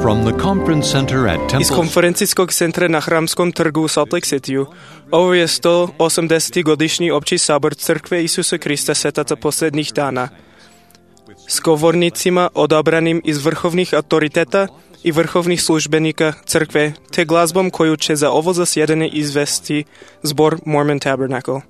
From the conference center at Iz konferencijskog centra na Hramskom trgu u Salt Lake Cityu. Ovo je 180. godišnji opći sabor Crkve Isusa Krista Svetaca posljednjih dana. S govornicima odabranim iz vrhovnih autoriteta i vrhovnih službenika Crkve, te glazbom koju će za ovo zasjedanje izvesti zbor Mormon Tabernacle.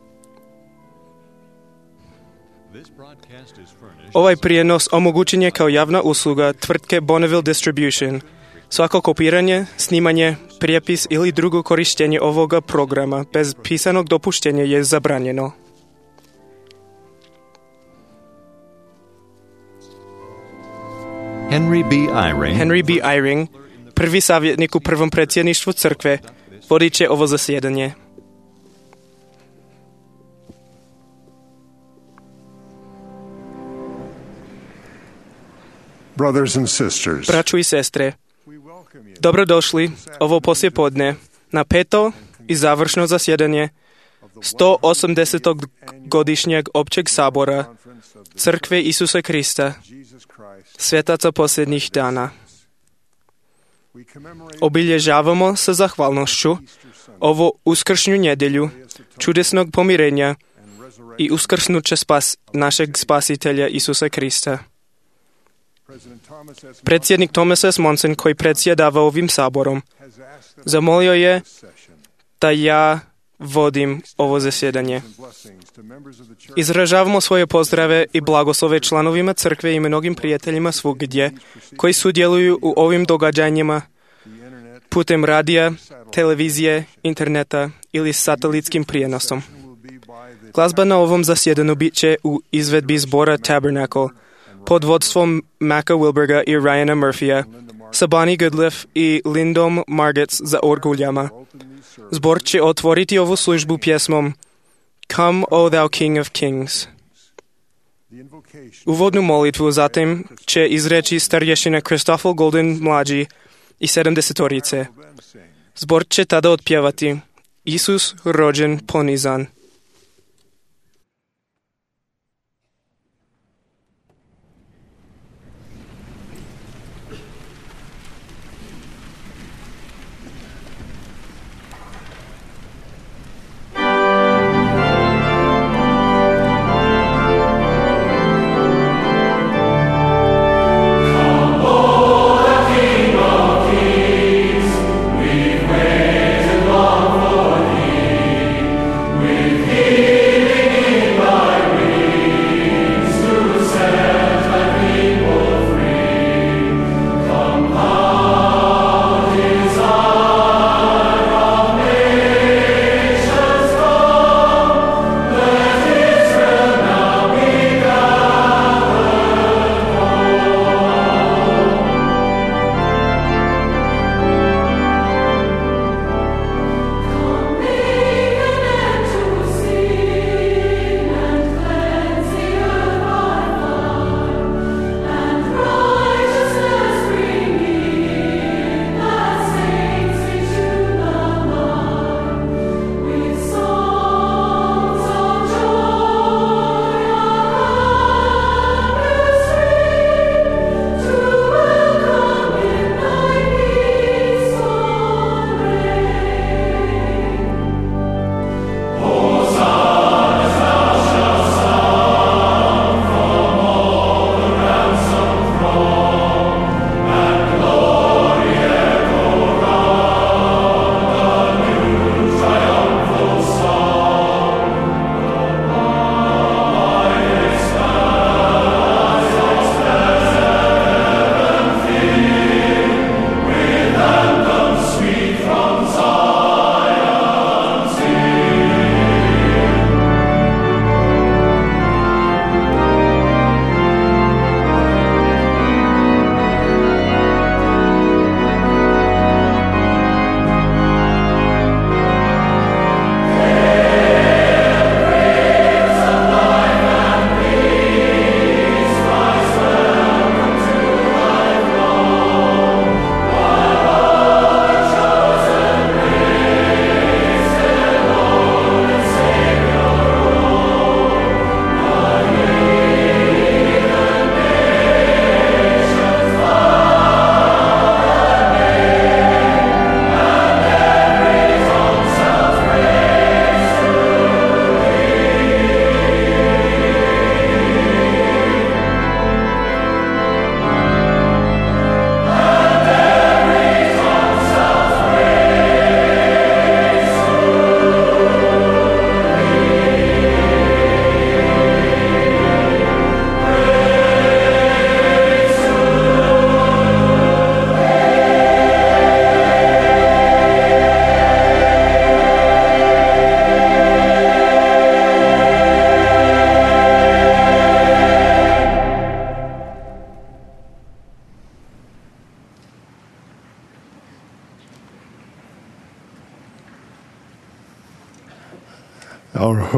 Ovaj prijenos omogućen je kao javna usluga tvrtke Bonneville Distribution. Svako kopiranje, snimanje, prijepis ili drugo korištenje ovoga programa bez pisanog dopuštenja je zabranjeno. Henry B. Eyring, prvi savjetnik u prvom predsjedništvu crkve, vodit će ovo zasjedanje. Braćo i sestre, dobrodošli ovo poslijepodne na peto i završno zasjedanje 180. godišnjeg općeg sabora Crkve Isusa Krista, Svetaca posljednjih dana. Obilježavamo sa zahvalnošću ovo uskršnju nedjelju čudesnog pomirenja i uskrsnuća našeg spasitelja Isusa Krista. Predsjednik Thomas S. Monson, koji predsjedava ovim saborom, zamolio je da ja vodim ovo zasjedanje. Izražavamo svoje pozdrave i blagoslove članovima crkve i mnogim prijateljima svugdje koji sudjeluju u ovim događanjima putem radija, televizije, interneta ili satelitskim prijenosom. Glazba na ovom zasjedanju bit će u izvedbi zbora Tabernacle pod vodstvom Macka Wilberga i Ryana Murphya, sa Bonnie Goodliff i Lindom Margetts za orguljama. Zbor će otvoriti ovu službu pjesmom Come, O Thou King of Kings. Uvodnu molitvu zatim će izreći starješina Christoffel Golden mlađi i 70-torice. Zbor će tada otpjevati Isus rođen ponizan. We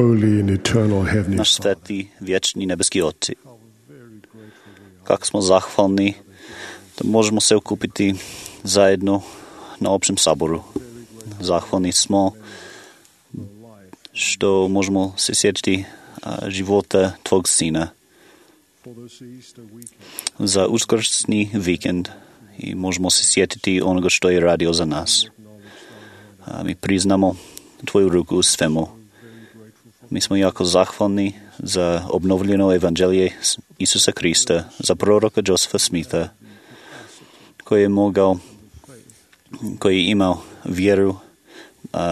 holy and eternal Heavenly Naš Father, sveti, vječni nebeski Oci, kako smo zahvalni da možemo se okupiti zajedno na općem saboru. Zahvalni smo što možemo se sjetiti života Tvog Sina za uskrsni vikend i možemo se sjetiti onoga što je radio za nas. Mi priznamo Tvoju ruku u svemu. Mi smo jako zahvalni za obnovljeno evanđelje Isusa Krista, za proroka Josefa Smitha, koji je imao vjeru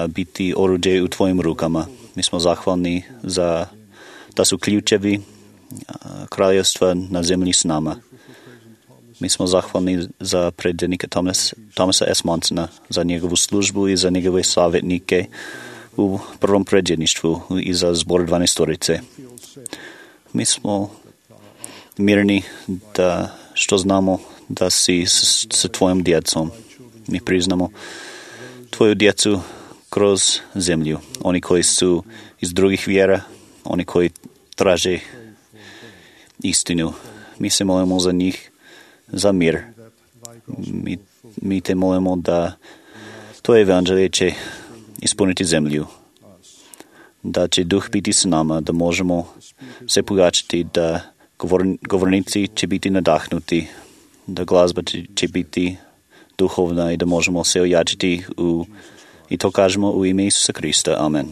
biti oruđe u Tvojim rukama. Mi smo zahvalni da su ključevi kraljevstva na zemlji s nama. Mi smo zahvalni za predsjednika Thomasa S. Monsona, za njegovu službu i za njegove savjetnike u prvom predsjedništvu i za zbor 12. Mi smo mirni što znamo da si sa Tvojom djecom. Mi priznamo Tvoju djecu kroz zemlju. Oni koji su iz drugih vjera, oni koji traže istinu. Mi se molimo za njih, za mir. Mi te molimo da to evanđelje će ispuniti zemlju, da će duh biti s nama, da možemo se pogačati, da govornici će biti nadahnuti, da glazba će biti duhovna i da možemo se ojačiti i to kažemo u ime Isusa Krista. Amen.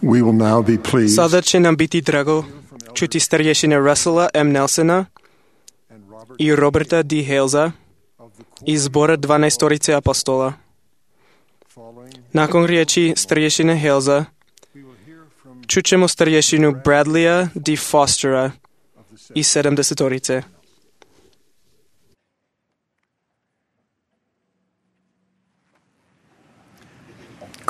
We will now be pleased Sada će nam biti drago čuti starješine Russella M. Nelsona i Roberta D. Halesa iz zbora 12 apostola. Nakon riječi starješine Halesa čućemo starješinu Bradleya D. Fostera iz 70.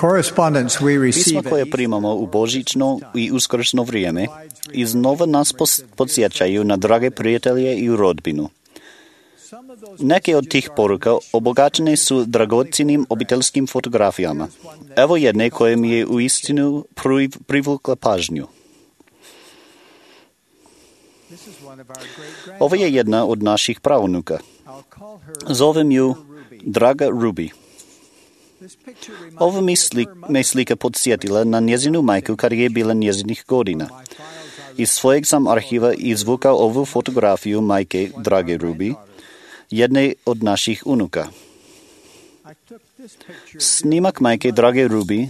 Correspondence we Pisma receive koje primamo u božićno i uskršnjo vrijeme iznova nas podsjećaju na drage prijatelje i rodbinu. Neke od tih poruka obogaćene su dragocjenim obiteljskim fotografijama. Evo jedne koje mi je uistinu privukla pažnju. Ovo je jedna od naših pravunuka. Zovem ju Draga Ruby. Ovo me slika podsjetila na njezinu majku kad je bila njezinih godina. Iz svojeg sam arhiva izvukao ovu fotografiju majke Drage Ruby, jedne od naših unuka. Snimak majke Drage Ruby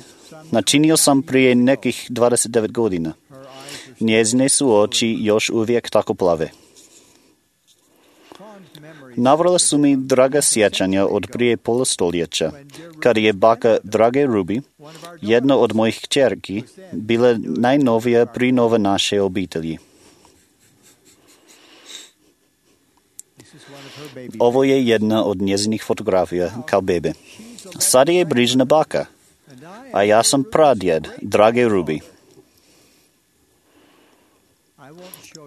načinio sam prije nekih 29 godina. Njezine su oči još uvijek tako plave. Navrala su mi draga sjećanja od prije pola stoljeća, kad je baka Drage Ruby, jedna od mojih kćerki, bila najnovija prinova naše obitelji. Ovo je jedna od njezinih fotografija kao bebe. Sada je brižna baka, a ja sam pradjed Drage Ruby.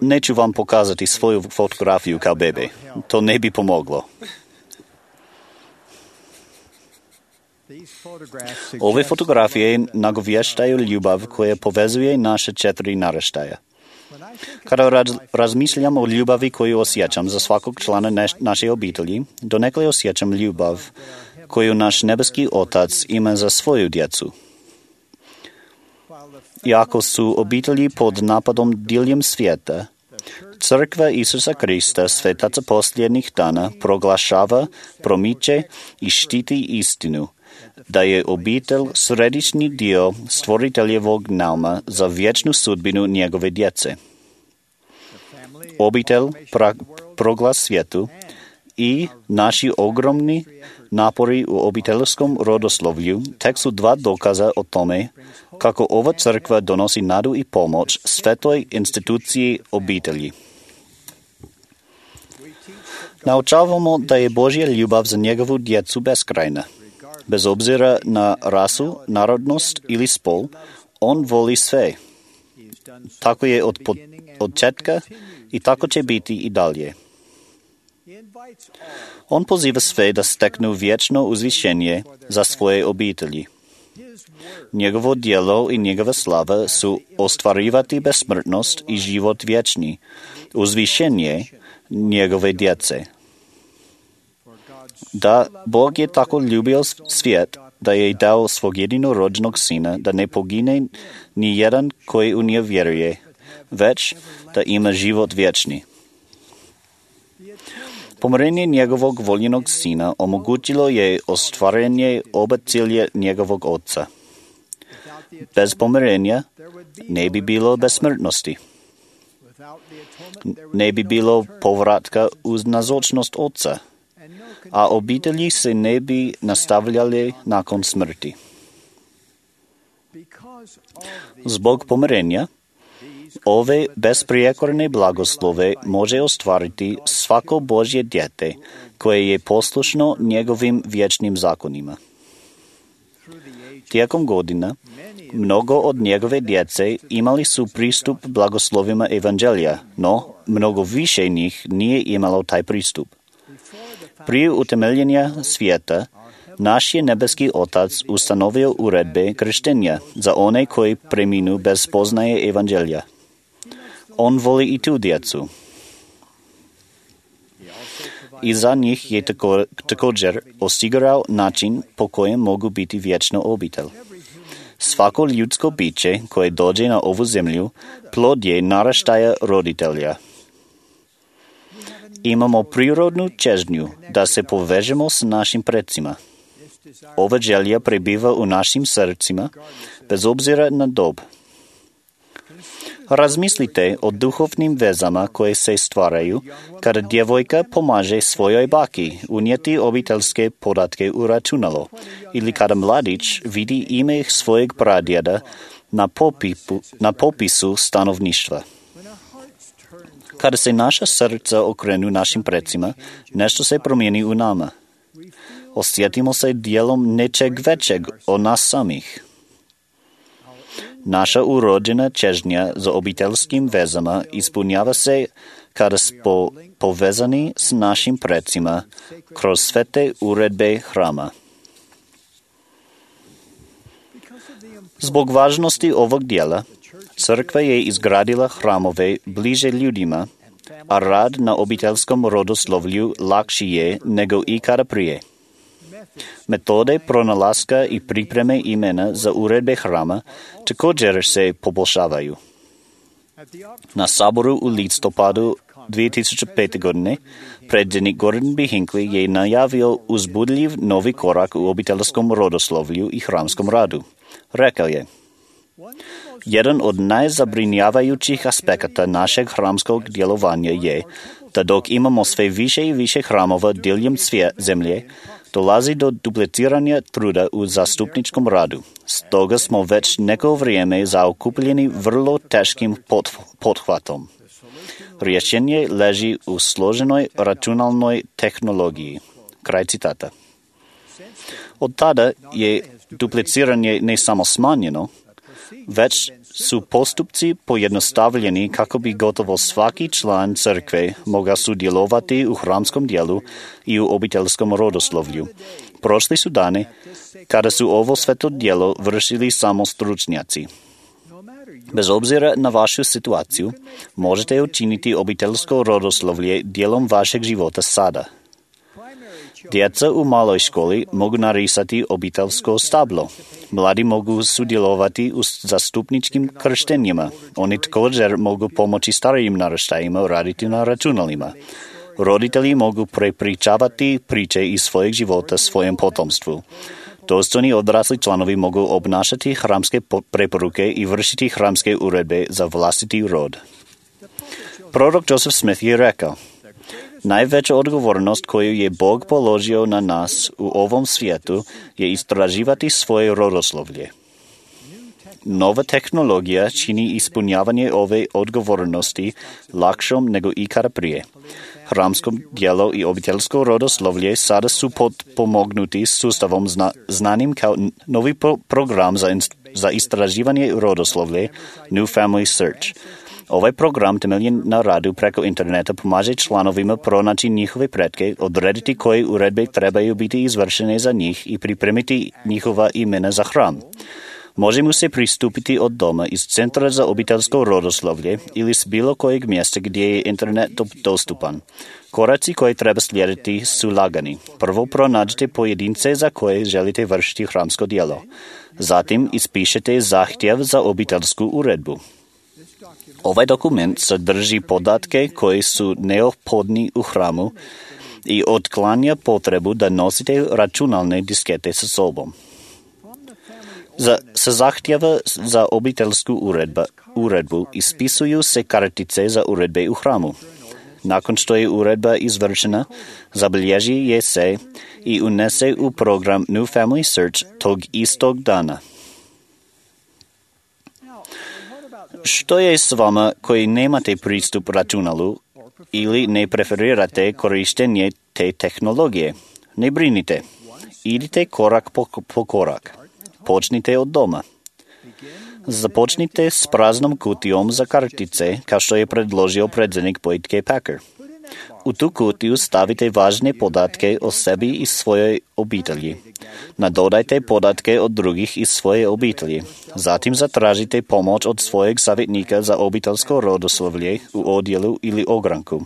Neću vam pokazati svoju fotografiju kao bebe. To ne bi pomoglo. Ove fotografije nagovještaju ljubav koja povezuje naše 4 naraštaja. Kada razmišljam o ljubavi koju osjećam za svakog člana naše obitelji, donekle osjećam ljubav koju naš nebeski Otac ima za svoju djecu. Iako su obitelji pod napadom diljem svijeta, Crkva Isusa Krista, svetaca posljednjih dana, proglašava, promiče i štiti istinu, da je obitelj središnji dio stvoriteljevog nauma za vječnu sudbinu njegove djece. Obitelj, proglas svijetu i naši ogromni napori u obiteljskom rodoslovlju tek su 2 dokaza o tome kako ova crkva donosi nadu i pomoć svetoj instituciji obitelji. Naučavamo da je Božja ljubav za njegovu djecu beskrajna. Bez obzira na rasu, narodnost ili spol, on voli sve. Tako je od početka i tako će biti i dalje. On poziva sve da steknu vječno uzvišenje za svoje obitelji. Njegovo djelo i njegova slava su ostvarivati besmrtnost i život vječni, uzvišenje njegove djece. Da, Bog je tako ljubio svijet da je dao svog jedinorođenog sina da ne pogine ni jedan koji u njega vjeruje, već da ima život vječni. Pomirenje njegovog voljenog sina omogućilo je ostvarenje oba cilja njegovog oca. Bez pomirenja ne bi bilo besmrtnosti. Ne bi bilo povratka uz nazočnost oca, a obitelji se ne bi nastavljali nakon smrti. Zbog pomirenja, ove besprijekorne blagoslove može ostvariti svako Božje dijete koje je poslušno njegovim vječnim zakonima. Tijekom godina, mnogo od njegove djece imali su pristup blagoslovima evanđelja, no mnogo više njih nije imalo taj pristup. Prije utemeljenja svijeta, naš je nebeski Otac ustanovio uredbe krštenja za one koji preminu bez spoznaje evanđelja. On voli i tu djecu. I za njih je također osigurao način po kojem mogu biti vječno obitelj. Svako ljudsko biće koje dođe na ovu zemlju plod je naraštaja roditelja. Imamo prirodnu čežnju da se povežemo s našim predsima. Ova želja prebiva u našim srcima bez obzira na dob. Razmislite o duhovnim vezama koje se stvaraju kada djevojka pomaže svojoj baki unijeti obiteljske podatke u računalo ili kada mladić vidi ime svojeg pradjeda na popisu stanovništva. Kada se naša srca okrenu našim precima, nešto se promijeni u nama. Osjetimo se dijelom nečeg većeg od nas samih. Naša urođena čežnja za obiteljskim vezama ispunjava se kada smo povezani s našim precima kroz svete uredbe hrama. Zbog važnosti ovog dijela, crkva je izgradila hramove bliže ljudima, a rad na obiteljskom rodoslovlju lakši je nego ikada prije. Metode pronalaska i pripreme imena za uredbe hrama također se poboljšavaju. Na saboru u listopadu 2005. godine predsjednik Gordon B. Hinckley je najavio uzbudljiv novi korak u obiteljskom rodoslovlju i hramskom radu. Rekao je: jedan od najzabrinjavajućih aspekata našeg hramskog djelovanja je da dok imamo sve više i više hramova diljem zemlje, dolazi do dupliciranja truda u zastupničkom radu. Stoga smo već neko vrijeme zaokupljeni vrlo teškim pothvatom. Rješenje leži u složenoj računalnoj tehnologiji. Kraj citata. Od tada je dupliciranje ne samo smanjeno, već su postupci pojednostavljeni kako bi gotovo svaki član crkve mogao sudjelovati u hramskom dijelu i u obiteljskom rodoslovlju. Prošli su dani kada su ovo sveto djelo vršili samo stručnjaci. Bez obzira na vašu situaciju, možete učiniti obiteljsko rodoslovlje dijelom vašeg života sada. Djeca u maloj školi mogu narisati obiteljsko stablo. Mladi mogu sudjelovati u zastupničkim krštenjima. Oni također mogu pomoći starijim naraštajima raditi na računalima. Roditelji mogu prepričavati priče iz svojeg života svojem potomstvu. Dostojni odrasli članovi mogu obnašati hramske preporuke i vršiti hramske uredbe za vlastiti rod. Prorok Joseph Smith je rekao: najveća odgovornost koju je Bog položio na nas u ovom svijetu je istraživati svoje rodoslovlje. Nova tehnologija čini ispunjavanje ove odgovornosti lakšom nego ikada prije. Hramsko djelo i obiteljsko rodoslovlje sada su potpomognuti sustavom znanim kao novi program za istraživanje rodoslovlje New Family Search. Ovaj program temeljen na radu preko interneta pomaže članovima pronaći njihove pretke, odrediti koje uredbe trebaju biti izvršene za njih i pripremiti njihova imena za hram. Može mu se pristupiti od doma iz Centra za obiteljsko rodoslovlje ili s bilo kojeg mjesta gdje je internet dostupan. Koraci koje treba slijediti su lagani. Prvo pronađite pojedince za koje želite vršiti hramsko djelo. Zatim ispišete zahtjev za obiteljsku uredbu. Ovaj dokument sadrži podatke koji su neophodni u hramu i otklanja potrebu da nosite računalne diskete sa sobom. Sa zahtjeva za obiteljsku uredbu ispisuju se kartice za uredbe u hramu. Nakon što je uredba izvršena, zabilježi je se i unese u program New Family Search tog istog dana. Što je s vama koji nemate pristup računalu ili ne preferirate korištenje te tehnologije? Ne brinite. Idite korak po korak. Počnite od doma. Započnite s praznom kutijom za kartice, kao što je predložio predsjednik Boyd K. Packer. U tu kutiju stavite važne podatke o sebi i svojoj obitelji. Nadodajte podatke od drugih iz svoje obitelji. Zatim zatražite pomoć od svojeg savjetnika za obiteljsko rodoslovlje u odjelu ili ogranku.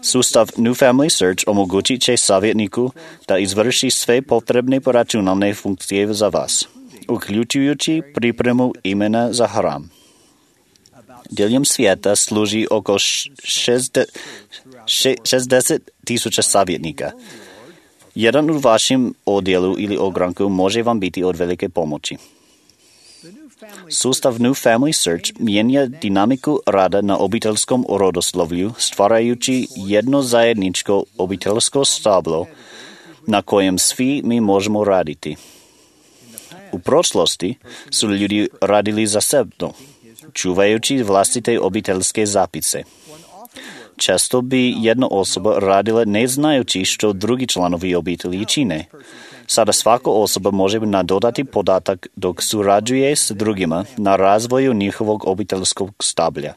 Sustav New Family Search omogućit će savjetniku da izvrši sve potrebne računalne funkcije za vas, uključujući pripremu imena za hram. Diljem svijeta služi oko 60,000 savjetnika. Jedan u vašem odjelu ili ogranku može vam biti od velike pomoći. Sustav New Family Search mijenja dinamiku rada na obiteljskom rodoslovlju, stvarajući jedno zajedničko obiteljsko stablo na kojem svi mi možemo raditi. U prošlosti su ljudi radili zasebno, čuvajući vlastite obiteljske zapise. Često bi jedna osoba radila ne znajući što drugi članovi obitelji čine. Sada svaka osoba može nadodati podatak dok surađuje s drugima na razvoju njihovog obiteljskog stablja.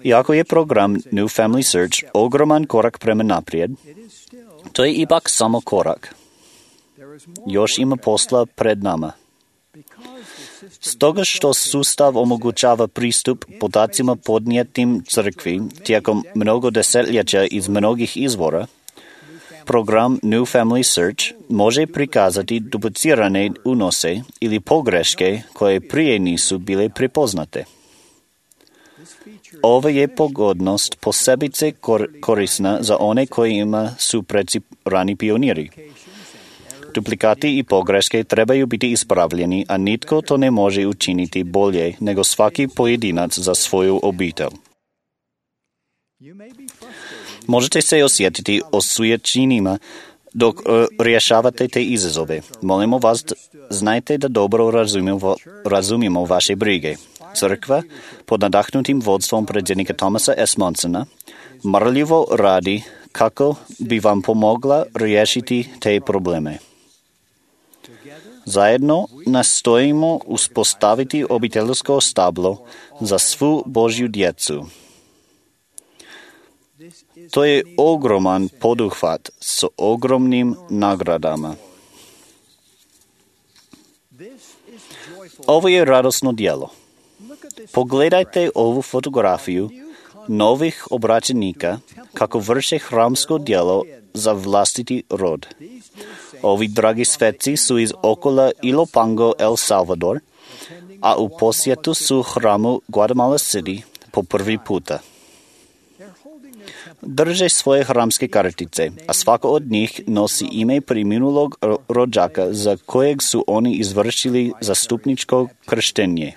Iako je program New Family Search ogroman korak prema naprijed, to je ipak samo korak. Još ima posla pred nama. Stoga što sustav omogućava pristup podacima podnijetim crkvi tijekom mnogo desetljeća iz mnogih izvora, program New Family Search može prikazati duplicirane unose ili pogreške koje prije nisu bile prepoznate. Ova je pogodnost posebice korisna za one kojima su preci rani pioniri. Duplikati i pogreške trebaju biti ispravljeni, a nitko to ne može učiniti bolje nego svaki pojedinac za svoju obitelj. Možete se osjetiti osujećenima dok rješavate te izazove. Molimo vas, znajte da dobro razumijemo vaše brige. Crkva, pod nadahnutim vodstvom predsjednika Thomasa S. Monsona, marljivo radi kako bi vam pomogla riješiti te probleme. Zajedno nastojimo uspostaviti obiteljsko stablo za svu Božju djecu. To je ogroman poduhvat s ogromnim nagradama. Ovo je radosno djelo. Pogledajte ovu fotografiju novih obraćenika kako vrše hramsko djelo za vlastiti rod. Ovi dragi sveci su iz okola Ilopango, El Salvador, a u posjetu su hramu Guatemala City po prvi puta. Drže svoje hramske kartice, a svako od njih nosi ime preminulog rođaka za kojeg su oni izvršili zastupničko krštenje.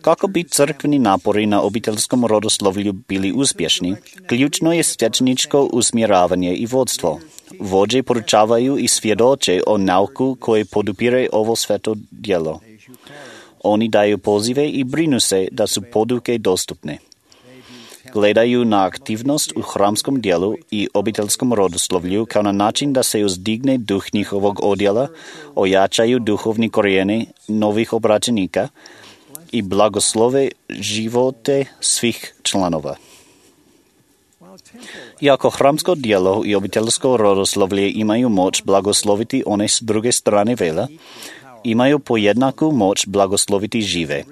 Kako bi crkveni napori na obiteljskom rodoslovlju bili uspješni, ključno je svećeničko usmjeravanje i vodstvo. Vođe poručavaju i svjedoče o nauku koje podupire ovo sveto djelo. Oni daju pozive i brinu se da su poduke dostupne. Gledaju na aktivnost u hramskom dijelu i obiteljskom rodoslovlju kao na način da se uzdigne duh njihovog odjela, ojačaju duhovni korijeni novih obraćenika i blagoslove živote svih članova. Iako hramsko djelo i obiteljsko rodoslovlje imaju moć blagosloviti one s druge strane vela, imaju pojednaku moć blagosloviti žive.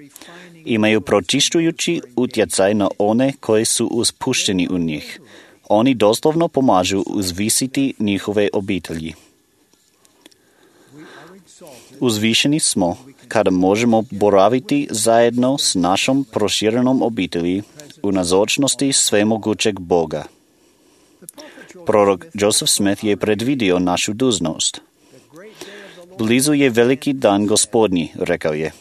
Imaju pročišćujući utjecaj na one koji su uspušteni u njih. Oni doslovno pomažu uzvisiti njihove obitelji. Uzvišeni smo kada možemo boraviti zajedno s našom proširenom obitelji u nazočnosti svemogućeg Boga. Prorok Joseph Smith je predvidio našu dužnost. Blizu je veliki dan Gospodnji, rekao je.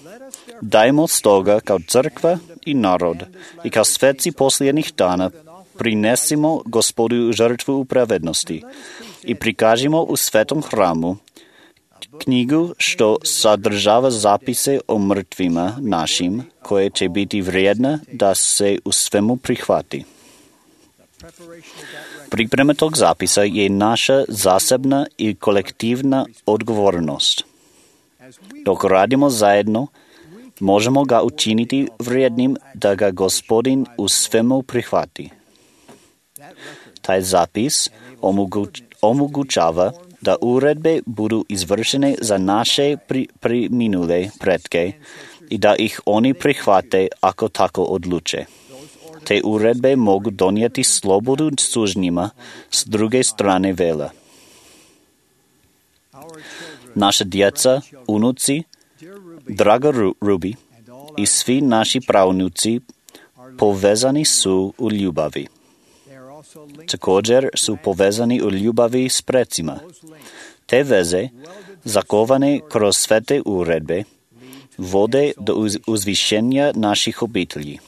Dajmo stoga kao crkva i narod i kao sveci posljednjih dana prinesimo Gospodu žrtvu pravednosti i prikažimo u svetom hramu knjigu što sadržava zapise o mrtvima našim koje će biti vrijedna da se u svemu prihvati. Priprema tog zapisa je naša zasebna i kolektivna odgovornost. Dok radimo zajedno, možemo ga učiniti vrijednim da ga Gospodin u svemu prihvati. Taj zapis omogućava da uredbe budu izvršene za naše preminule pretke i da ih oni prihvate ako tako odluče. Te uredbe mogu donijeti slobodu sužnjima s druge strane vela. Naša djeca, unuci, draga Ruby i svi naši pravnuci povezani su u ljubavi. Također su povezani u ljubavi s precima. Te veze zakovane kroz svete uredbe, vode do uzvišenja naših obitelji.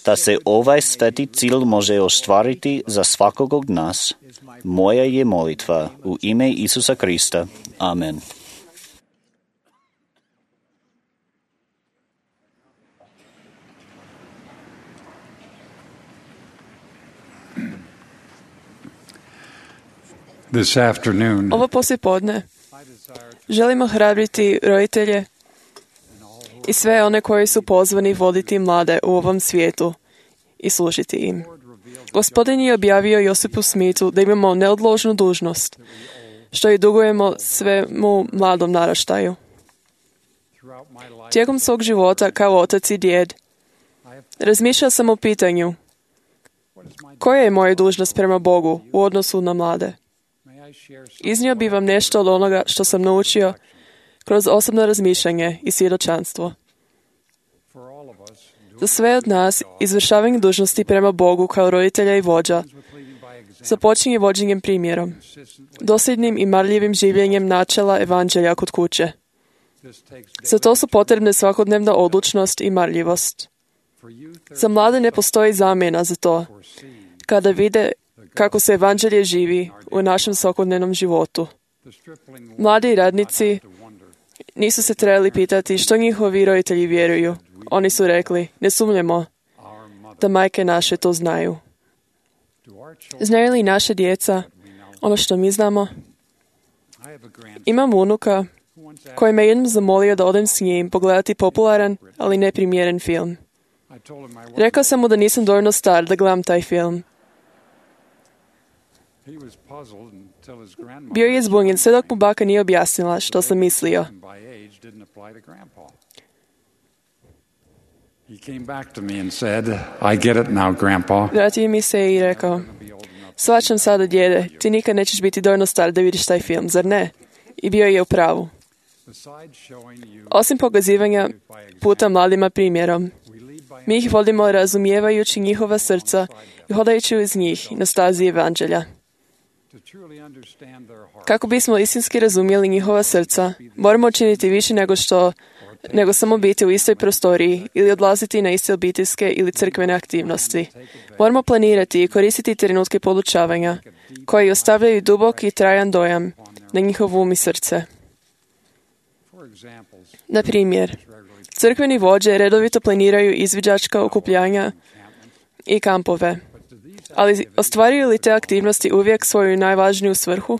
Da se ovaj sveti cilj može ostvariti za svakog od nas, moja je molitva u ime Isusa Krista. Amen. Ovo poslijepodne želimo ohrabriti roditelje i sve one koji su pozvani voditi mlade u ovom svijetu i služiti im. Gospodin je objavio Josipu Smithu da imamo neodložnu dužnost, što i dugujemo svemu mladom naraštaju. Tijekom svog života kao otac i djed, razmišljao sam o pitanju koja je moja dužnost prema Bogu u odnosu na mlade. Iznio bi vam nešto od onoga što sam naučio kroz osobno razmišljanje i svjedočanstvo. Za sve od nas, izvršavanje dužnosti prema Bogu kao roditelja i vođa započinje vođenjem primjerom, dosljednim i marljivim življenjem načela evanđelja kod kuće. Za to su potrebne svakodnevna odlučnost i marljivost. Za mlade ne postoji zamjena za to, kada vide kako se evanđelje živi u našem svakodnevnom životu. Mladi radnici nisu se trebali pitati što njihovi roditelji vjeruju. Oni su rekli, ne sumnjamo da majke naše to znaju. Znaju li naše djeca ono što mi znamo? Imam unuka koji me jednom zamolio da odem s njim pogledati popularan, ali neprimjeren film. Rekao sam mu da nisam dovoljno star da gledam taj film. Bio je zbunjen sve dok mu baka nije objasnila što sam mislio. Vratio mi se i rekao, shvaćam sada, djede, ti nikad nećeš biti dovoljno star da vidiš taj film, zar ne? I bio je u pravu. Osim pokazivanja puta mladima primjerom, mi ih vodimo razumijevajući njihova srca i hodajući uz njih na stazi evanđelja. Kako bismo istinski razumjeli njihova srca, moramo učiniti više nego samo biti u istoj prostoriji ili odlaziti na iste obiteljske ili crkvene aktivnosti. Moramo planirati i koristiti trenutke podučavanja koji ostavljaju dubok i trajan dojam na njihov um i srce. Na primjer, crkveni vođe redovito planiraju izviđačka okupljanja i kampove, ali ostvaruju li te aktivnosti uvijek svoju najvažniju svrhu?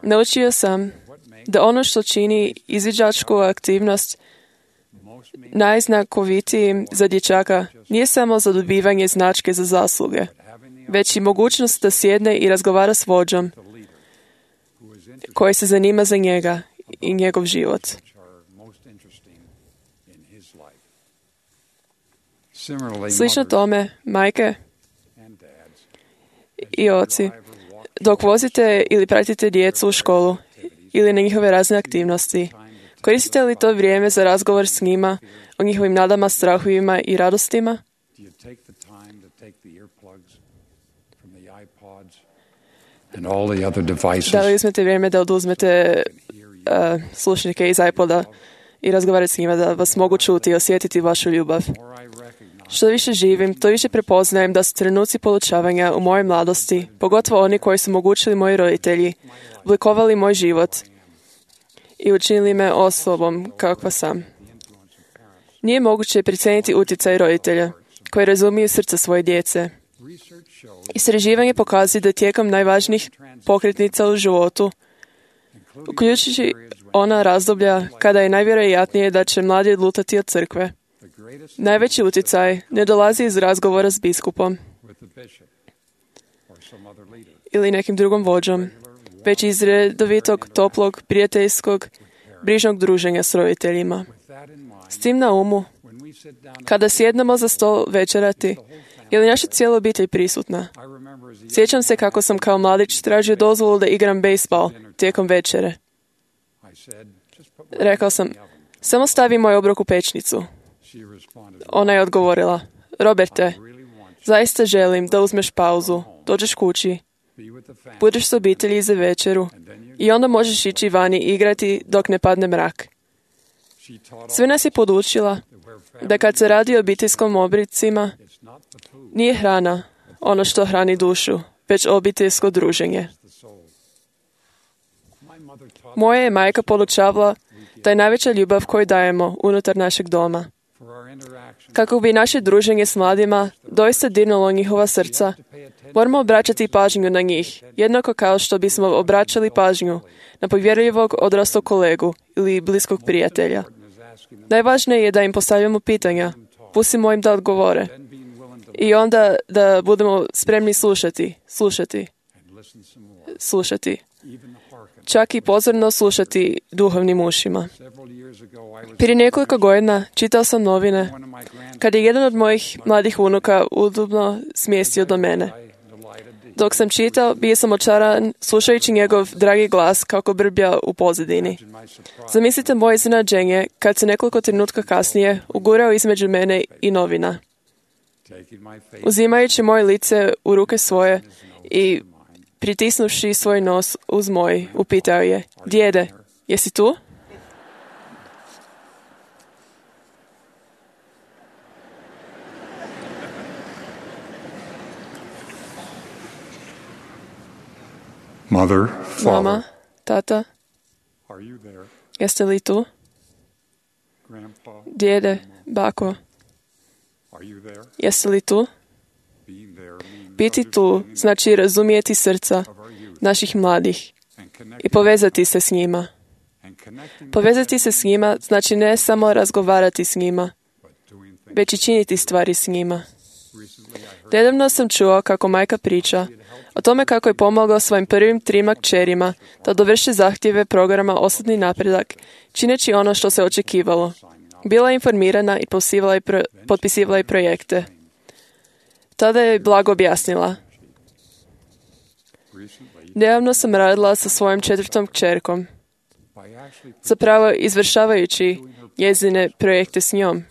Naučio sam da ono što čini izviđačku aktivnost najznakovitijim za dječaka nije samo zadobivanje značke za zasluge, već i mogućnost da sjedne i razgovara s vođom koji se zanima za njega i njegov život. Slično tome, majke i oci, dok vozite ili pratite djecu u školu ili na njihove razne aktivnosti, koristite li to vrijeme za razgovor s njima o njihovim nadama, strahovima i radostima? Da li uzmete vrijeme da oduzmete slušnike iz iPoda i razgovarati s njima da vas mogu čuti i osjetiti vašu ljubav? Što više živim, to više prepoznajem da su trenuci podučavanja u mojoj mladosti, pogotovo oni koji su omogućili moji roditelji, oblikovali moj život i učinili me osobom kakva sam. Nije moguće precijeniti utjecaj roditelja koji razumiju srce svoje djece. Istraživanje pokazuje da tijekom najvažnijih pokretnica u životu, uključujući ona razdoblja kada je najvjerojatnije da će mladi odlutati od crkve, najveći utjecaj ne dolazi iz razgovora s biskupom ili nekim drugom vođom, već iz redovitog, toplog, prijateljskog, brižnog druženja s roditeljima. S tim na umu, kada sjednemo za stol večerati, je li naša cijela obitelj prisutna? Sjećam se kako sam kao mladić tražio dozvolu da igram bejsbal tijekom večere. Rekao sam, samo stavi moj obrok u pečnicu. Ona je odgovorila, Roberte, zaista želim da uzmeš pauzu, dođeš kući budeš s obitelji za večeru i onda možeš ići vani igrati dok ne padne mrak. Sve nas je podučila da kad se radi o obiteljskom obricima, nije hrana ono što hrani dušu, već obiteljsko druženje. Moja je majka podučavala da je najveća ljubav koju dajemo unutar našeg doma. Kako bi naše druženje s mladima doista dirnulo njihova srca, moramo obraćati pažnju na njih, jednako kao što bismo obraćali pažnju na povjerljivog odraslog kolegu ili bliskog prijatelja. Najvažnije je da im postavljamo pitanja, pustimo im da odgovore i onda da budemo spremni slušati. Čak i pozorno slušati duhovnim ušima. Prije nekoliko godina čitao sam novine kad je jedan od mojih mladih unuka udobno smjestio do mene. Dok sam čitao, bio sam očaran slušajući njegov dragi glas kako brbja u pozadini. Zamislite moje iznenađenje kad se nekoliko trenutka kasnije ugurao između mene i novina. Uzimajući moje lice u ruke svoje i pritisnuvši svoj nos uz moj, upitao je: "Djede, jesi tu?" Mother, Mama, tata, are you there? jeste li tu? Grandpa, Djede, bako, are you there? jeste li tu? Being there means Biti tu znači razumijeti srca naših mladih i povezati se s njima. Povezati se s njima znači ne samo razgovarati s njima, već i činiti stvari s njima. Nedavno sam čuo kako majka priča o tome kako je pomogao svojim prvim 3 kćerima da dovrše zahtjeve programa Osobni napredak, čineći ono što se očekivalo. Bila je informirana i potpisivala i projekte. Tada je blago objasnila: "Nedavno sam radila sa svojom 4. kćerkom, zapravo izvršavajući njezine projekte s njom.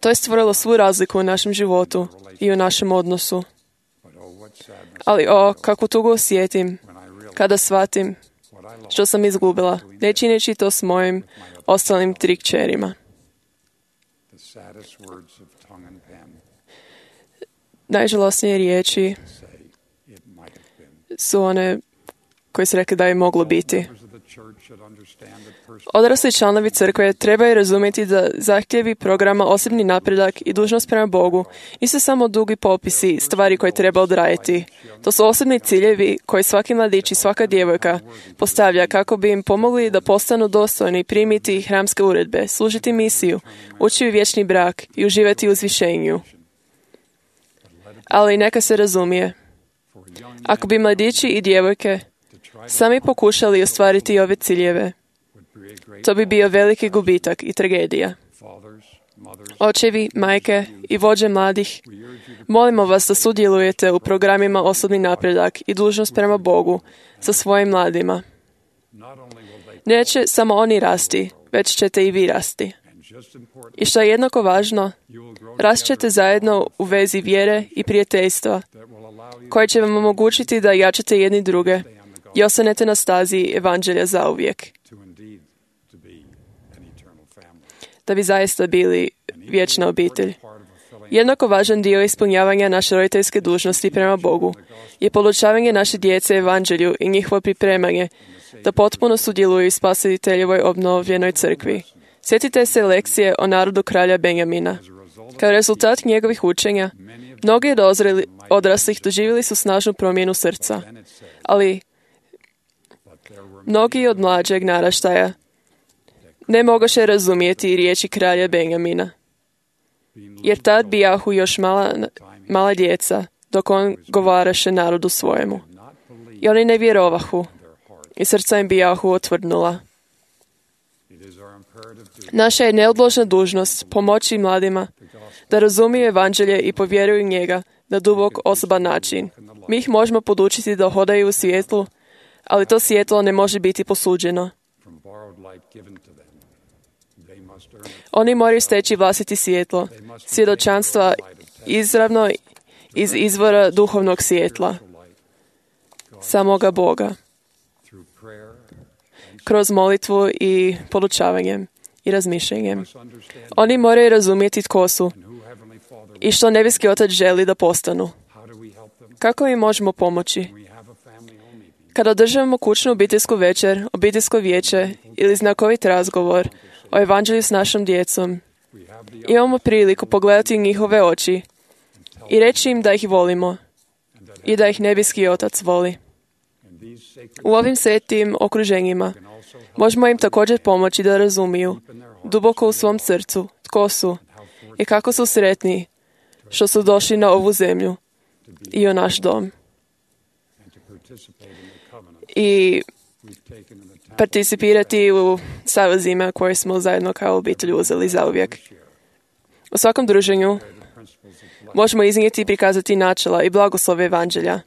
To je stvorilo svu razliku u našem životu i u našem odnosu. Ali kakvu tugu osjetim kada shvatim što sam izgubila, ne čineći to s mojim ostalim 3 kćerima." Najžalosnije riječi su one koje su rekli da je moglo biti. Odrasli članovi crkve trebaju razumjeti da zahtjevi programa Osobni napredak i dužnost prema Bogu nisu samo dugi popisi stvari koje treba odraditi. To su osobni ciljevi koje svaki mladić i svaka djevojka postavlja kako bi im pomogli da postanu dostojni primiti hramske uredbe, služiti misiju, ući u vječni brak i uživati u uzvišenju. Ali neka se razumije, ako bi mladići i djevojke sami pokušali ostvariti ove ciljeve, to bi bio veliki gubitak i tragedija. Očevi, majke i vođe mladih, molimo vas da sudjelujete u programima Osobni napredak i dužnost prema Bogu sa svojim mladima. Neće samo oni rasti, već ćete i vi rasti. I što je jednako važno, rast ćete zajedno u vezi vjere i prijateljstva, koje će vam omogućiti da jačate jedni druge i ostanete na stazi evanđelja zauvijek, da bi zaista bili vječna obitelj. Jednako važan dio ispunjavanja naše roditeljske dužnosti prema Bogu je podučavanje naše djece evanđelju i njihovo pripremanje da potpuno sudjeluju u Spasiteljevoj obnovljenoj crkvi. Sjetite se lekcije o narodu kralja Benjamina. Kao rezultat njegovih učenja, mnogi od odraslih doživjeli su snažnu promjenu srca, ali mnogi od mlađeg naraštaja ne mogoše razumjeti riječi kralja Benjamina, jer tad bijahu još mala djeca, dok on govaraše narodu svojemu. I oni ne vjerovahu, i srca im bijahu otvrdnula. Naša je neodložna dužnost pomoći mladima da razumiju evanđelje i povjeruju njega na dubok osoban način. Mi ih možemo podučiti da hodaju u svjetlu, ali to svjetlo ne može biti posuđeno. Oni moraju steći vlastiti svjetlo, svjedočanstva izravno iz izvora duhovnog svjetla. samoga Boga, through prayer kroz molitvu i podučavanjem i razmišljanjem. must understand Oni moraju razumjeti tko su who Heavenly Father i što nebeski Otac želi da postanu. how do we help them? Kako im možemo pomoći? We have a family home meeting. Kada održavamo kućnu obiteljsku večer, obiteljsko vijeće ili znakovit razgovor o evanđelju s našom djecom, We have the imamo priliku pogledati u njihove oči i reći im da ih volimo i da ih nebeski Otac voli. and these sacred U ovim svetim okruženjima can also help možemo im također pomoći da razumiju duboko u svom srcu tko su i kako su sretni što su došli na ovu zemlju i u naš dom and to participate in the covenant i we've taken in the tabernacle participirati u savezima koje smo zajedno kao obitelj uzeli zauvijek. U svakom druženju principles of blessing. možemo iznijeti i prikazati načela i blagoslove evanđelja.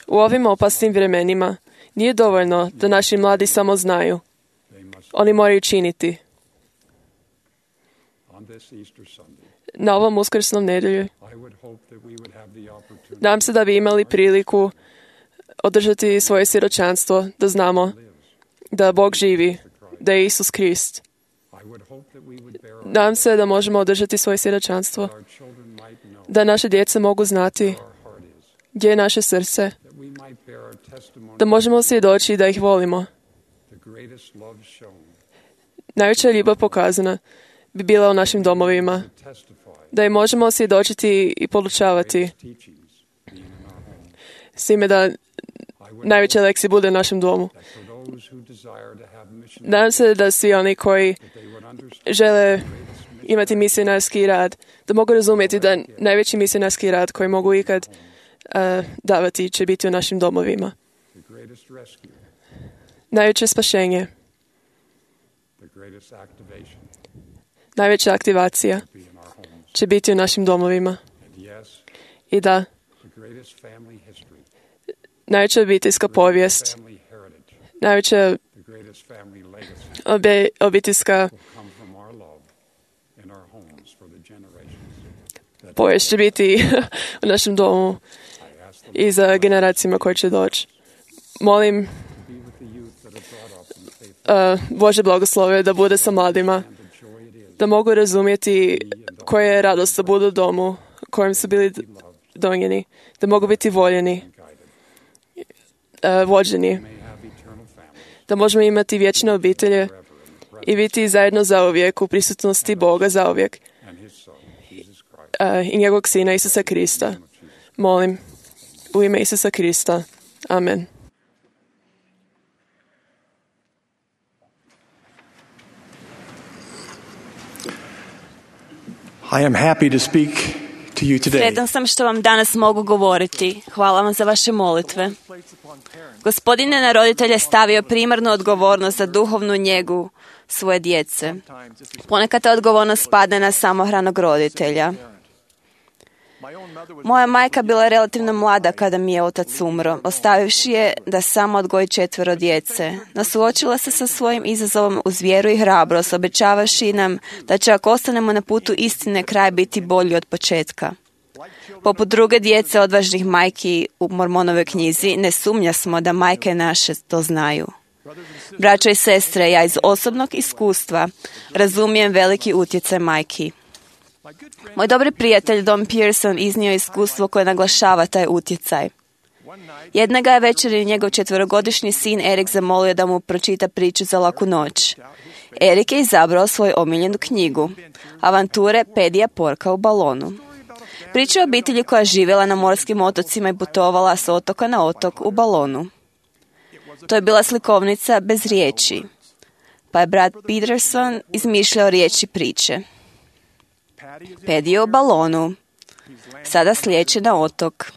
U ovim opasnim vremenima nije dovoljno da naši mladi samo znaju. They must Oni moraju činiti. on this Easter Sunday. Na ovom uskrsnom nedjelju I would hope that we would have the opportunity nadam se da bi imali priliku održati svoje svjedočanstvo, da znamo da Bog živi, da je Isus Krist. I would hope that we would bear our, Nadam se da možemo održati svoje svjedočanstvo, our children might know da naše djece mogu znati where our heart is, gdje je naše srce, that we might bear our testimony da možemo svjedočiti da ih volimo. the greatest love shown, Najveća ljubav pokazana bi bila u našim domovima, testify da im možemo svjedočiti i podučavati, teachings being in our home. s time da I would najveća lekcija bude u našem domu. that for those who desire to have mission, Nadam se da svi oni koji that they would understand žele imati misionarski rad, da mogu razumjeti da najveći misionarski rad koji mogu ikad davati će biti u našim domovima. the greatest rescue, Najveće spašenje, the greatest activation najveća aktivacija be in our homes. će biti u našim domovima. And yes, I da, the greatest family history, najveća obiteljska povijest, family heritage, najveća the greatest family legacy obiteljska will come from our love in our homes for the generations that povijest će biti u našem domu I ask them i za generacijama koje će doći. Molim to be with the youth that are brought up in the faith Bože blagoslove da bude sa mladima, and the joy it is da mogu razumjeti koja je radost da budu u domu kojem su bili donjeni, da mogu biti voljeni, guided, vođeni, may have eternal families da možemo imati vječne obitelje forever in the presence i biti zajedno zauvijek u prisutnosti Boga zauvijek and His Son, Jesus Christ. i njegovog Sina Isusa Krista. Molim, u ime Isusa Krista. Amen. I am happy to speak to you today. Sretan sam što vam danas mogu govoriti. Hvala vam za vaše molitve. Gospodin je na roditelje stavio primarnu odgovornost za duhovnu njegu svoje djece. Ponekad ta odgovornost spadne na samohranog roditelja. Moja majka bila je relativno mlada kada mi je otac umro, ostavivši je da sama odgoji 4 djece. No suočila se sa svojim izazovom uz vjeru i hrabrost, obećavaši nam da će ako ostanemo na putu istine kraj biti bolji od početka. Poput druge djece odvažnih majki u Mormonovoj knjizi, ne sumnja smo da majke naše to znaju. Braćo i sestre, ja iz osobnog iskustva razumijem veliki utjecaj majki. Moj dobri prijatelj Don Pearson iznio iskustvo koje naglašava taj utjecaj. Jednoga je večeri njegov 4-godišnji sin Erik zamolio da mu pročita priču za laku noć. Erik je izabrao svoju omiljenu knjigu, Avanture Pedija Porka u balonu. Priča o obitelji koja je živjela na morskim otocima i putovala s otoka na otok u balonu. To je bila slikovnica bez riječi, pa je brat Peterson izmišljao riječi priče. Pedi je u balonu, sada slijeće na otok,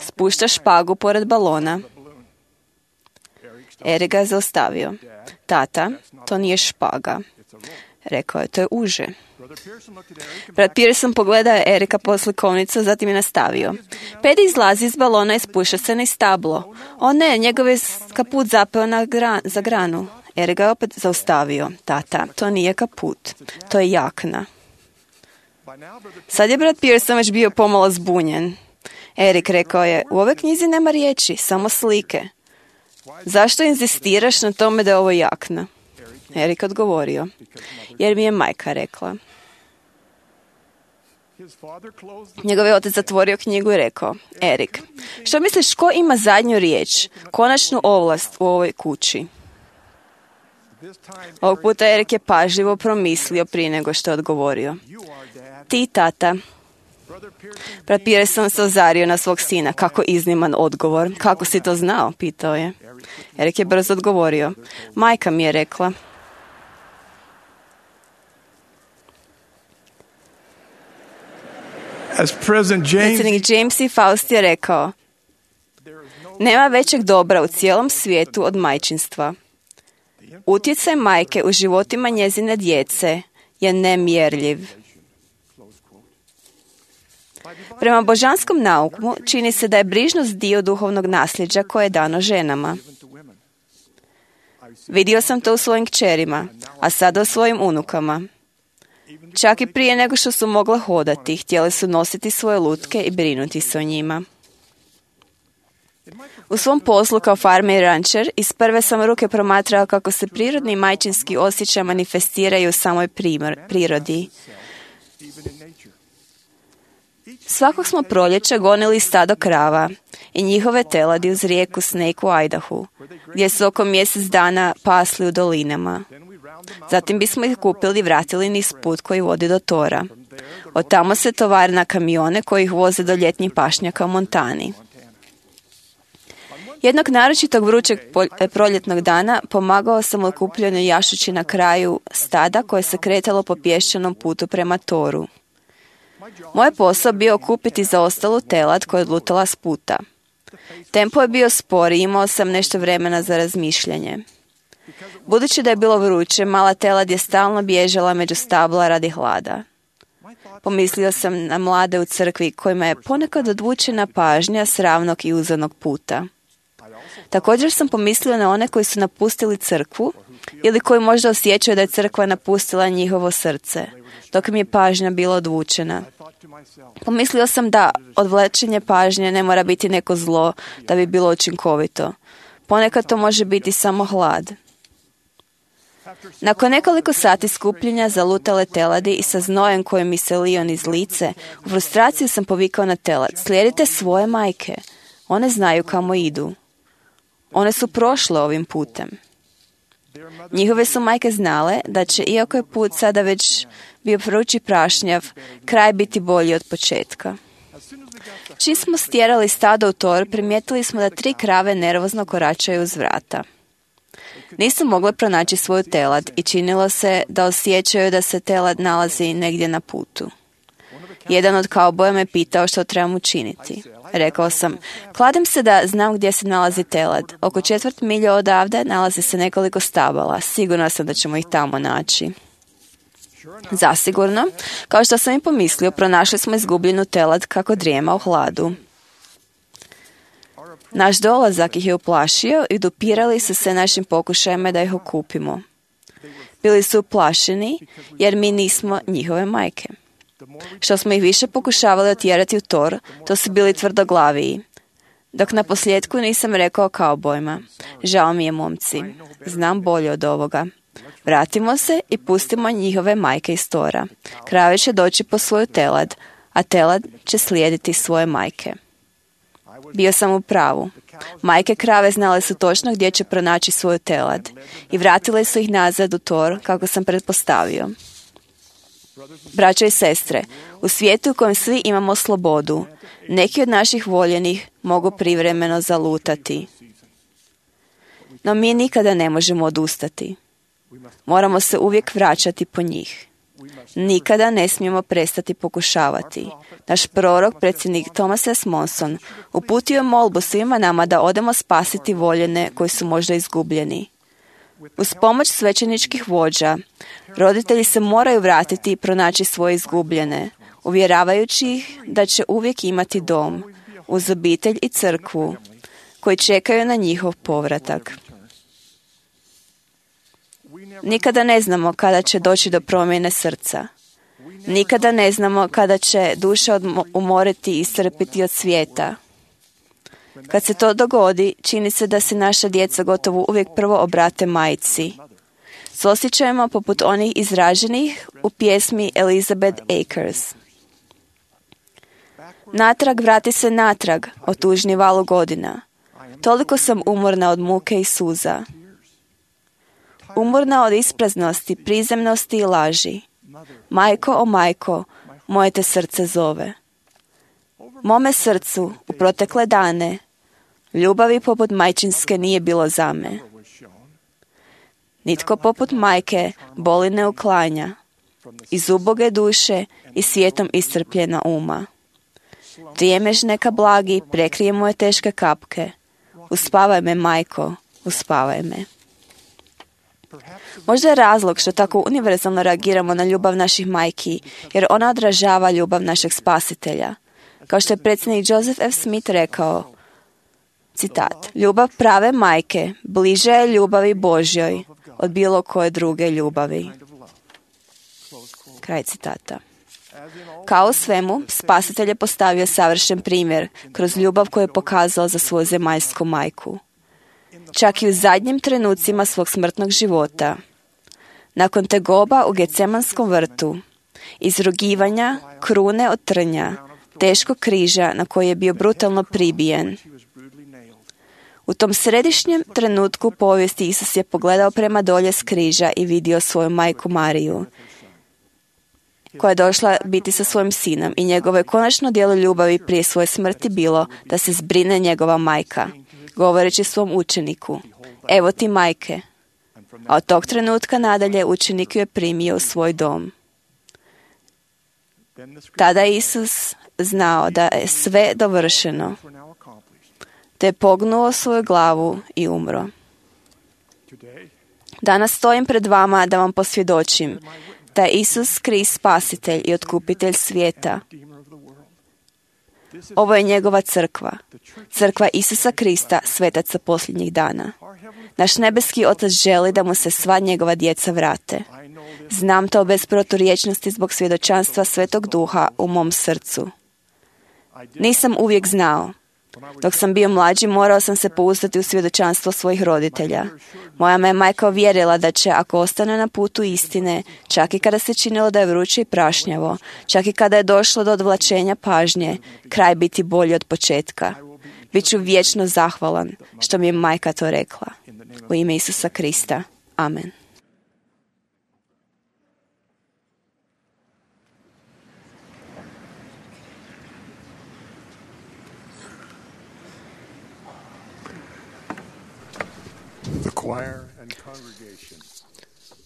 spušta špagu pored balona. Erik ga je zaustavio. Tata, to nije špaga. Rekao je, to je uže. Brat Pearson pogledao je Erika po slikovnicu, zatim je nastavio. Pedi izlazi iz balona i spušta se na stablo. O ne, njegov je kaput zapeo za granu. Erik ga je opet zaustavio. Tata, to nije kaput, to je jakna. Sad je brat Pearson već bio pomalo zbunjen. Erik rekao je, u ovoj knjizi nema riječi, samo slike. Zašto inzistiraš na tome da je ovo jakna? Erik odgovorio, jer mi je majka rekla. Njegov je otac zatvorio knjigu i rekao, Erik, što misliš, ko ima zadnju riječ, konačnu ovlast u ovoj kući? Ovog puta Erik je pažljivo promislio prije nego što je odgovorio. Ti, tata. Brat Pearson se ozario na svog sina. Kako izniman odgovor. Kako si to znao? Pitao je. Erik je brzo odgovorio. Majka mi je rekla. Predsjednik James E. Faust je rekao, nema većeg dobra u cijelom svijetu od majčinstva. Utjecaj majke u životima njezine djece je nemjerljiv. Prema božanskom nauku čini se da je brižnost dio duhovnog nasljeđa koje je dano ženama. Vidio sam to u svojim kćerima, a sada u svojim unukama. Čak i prije nego što su mogle hodati, htjele su nositi svoje lutke i brinuti se o njima. U svom poslu kao farmer i rančer iz prve sam ruke promatrao kako se prirodni majčinski osjećaj manifestiraju u samoj prirodi. Svakog smo proljeća gonili stado krava i njihove teladi uz rijeku Snake u Idahu, gdje su oko mjesec dana pasli u dolinama. Zatim bismo ih kupili i vratili niz put koji vodi do Tora. Od tamo se tovari na kamione koji ih voze do ljetnjih pašnjaka u Montani. Jednog naročitog vrućeg proljetnog dana pomagao sam u okupljanju jašući na kraju stada koje se kretalo po pješčanom putu prema Toru. Moj posao bio kupiti zaostalu telad koja je odlutala s puta. Tempo je bio spor i imao sam nešto vremena za razmišljanje. Budući da je bilo vruće, mala telad je stalno bježala među stabla radi hlada. Pomislio sam na mlade u crkvi kojima je ponekad odvučena pažnja s ravnog i uzanog puta. Također sam pomislio na one koji su napustili crkvu ili koji možda osjećaju da je crkva napustila njihovo srce, dok mi je pažnja bila odvučena. Pomislio sam da odvlačenje pažnje ne mora biti neko zlo da bi bilo učinkovito. Ponekad to može biti samo hlad. Nakon nekoliko sati skupljenja zalutale teladi i sa znojem koji mi se lio niz lice, u frustraciju sam povikao na telad. Slijedite svoje majke. One znaju kamo idu. One su prošle ovim putem. Njihove su majke znale da će, iako je put sada već bio vrući prašnjav, kraj biti bolji od početka. Čim smo stjerali stado u Tor, primijetili smo da 3 krave nervozno koračaju uz vrata. Nisu mogle pronaći svoju telad i činilo se da osjećaju da se telad nalazi negdje na putu. Jedan od kauboja me pitao što trebam učiniti. Rekao sam, kladim se da znam gdje se nalazi telad. Oko 1/4 milje odavde nalazi se nekoliko stabala. Sigurna sam da ćemo ih tamo naći. Zasigurno, kao što sam i pomislio, pronašli smo izgubljenu telad kako drijema u hladu. Naš dolazak ih je uplašio i dopirali su se našim pokušajima da ih okupimo. Bili su uplašeni jer mi nismo njihove majke. Što smo ih više pokušavali otjerati u Tor, to su bili tvrdoglaviji. Dok na posljedku nisam rekao kaubojima, žao mi je momci, znam bolje od ovoga. Vratimo se i pustimo njihove majke iz Tora. Krave će doći po svoju telad, a telad će slijediti svoje majke. Bio sam u pravu. Majke krave znale su točno gdje će pronaći svoju telad i vratile su ih nazad u Tor kako sam pretpostavio. Braćo i sestre, u svijetu u kojem svi imamo slobodu, neki od naših voljenih mogu privremeno zalutati. No mi nikada ne možemo odustati. Moramo se uvijek vraćati po njih. Nikada ne smijemo prestati pokušavati. Naš prorok, predsjednik Thomas S. Monson, uputio je molbu svima nama da odemo spasiti voljene koji su možda izgubljeni. Uz pomoć svećeničkih vođa, roditelji se moraju vratiti i pronaći svoje izgubljene, uvjeravajući ih da će uvijek imati dom, uz obitelj i crkvu, koji čekaju na njihov povratak. Nikada ne znamo kada će doći do promjene srca. Nikada ne znamo kada će duša umoriti i iscrpiti od svijeta. Kad se to dogodi, čini se da se naša djeca gotovo uvijek prvo obrate majci. S osjećajima poput onih izraženih u pjesmi Elizabeth Akers. Natrag, vrati se natrag, o tužni valu godina. Toliko sam umorna od muke i suza. Umorna od ispraznosti, prizemnosti i laži. Majko, o majko, moje te srce zove. Mome srcu, u protekle dane, ljubavi poput majčinske nije bilo za me. Nitko poput majke boli ne uklanja, iz uboge duše i svijetom iscrpljena uma. Prijemež neka blagi, prekrije moje teške kapke. Uspavaj me, majko, uspavaj me. Možda je razlog što tako univerzalno reagiramo na ljubav naših majki, jer ona odražava ljubav našeg spasitelja. Kao što je predsjednik Joseph F. Smith rekao, citat, ljubav prave majke bliže je ljubavi Božjoj od bilo koje druge ljubavi. Kraj citata. Kao u svemu, spasitelj je postavio savršen primjer kroz ljubav koju je pokazao za svoju zemaljsku majku. Čak i u zadnjim trenucima svog smrtnog života. Nakon tegoba u Gecemanskom vrtu, izrugivanja, krune od trnja, teškog križa na koji je bio brutalno pribijen. U tom središnjem trenutku povijesti Isus je pogledao prema dolje s križa i vidio svoju majku Mariju, koja je došla biti sa svojim sinom, i njegovo je konačno djelo ljubavi prije svoje smrti bilo da se zbrine njegova majka, govoreći svom učeniku, evo ti majke. A od tog trenutka nadalje učenik ju je primio u svoj dom. Tada je Isus znao da je sve dovršeno, te je pognuo svoju glavu i umro. Danas stojim pred vama da vam posvjedočim da je Isus Krist spasitelj i otkupitelj svijeta. Ovo je njegova crkva, crkva Isusa Krista, svetaca posljednjih dana. Naš nebeski Otac želi da mu se sva njegova djeca vrate. Znam to bez proturječnosti zbog svjedočanstva Svetog Duha u mom srcu. Nisam uvijek znao. Dok sam bio mlađi, morao sam se pouzdati u svjedočanstvo svojih roditelja. Moja me majka uvjerila da će, ako ostane na putu istine, čak i kada se činilo da je vruće i prašnjavo, čak i kada je došlo do odvlačenja pažnje, kraj biti bolji od početka. Biću vječno zahvalan što mi je majka to rekla. U ime Isusa Krista. Amen.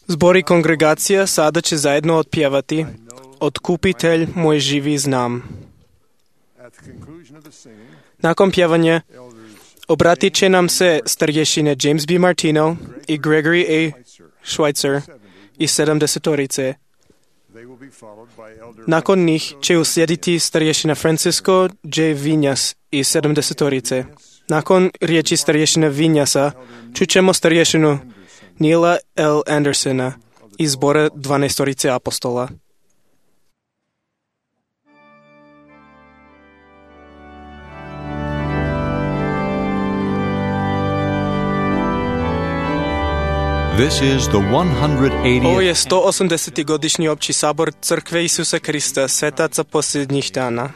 Zbor i kongregacija sada će zajedno otpjevati Otkupitelj moj živi znam. Nakon pjevanja obratit će nam se starješine James B. Martino i Gregory A. Schweitzer i 70-torice. Nakon njih će uslijediti starješina Francisco J. Vinjas i 70-torice. Nakon riječi starješina Vinjasa čućemo starješinu Neila L. Andersona iz zbora 12-torice apostola. This is the 180th. Ovo je 180. godišnji opći sabor Crkve Isusa Krista, svetaca posljednjih dana.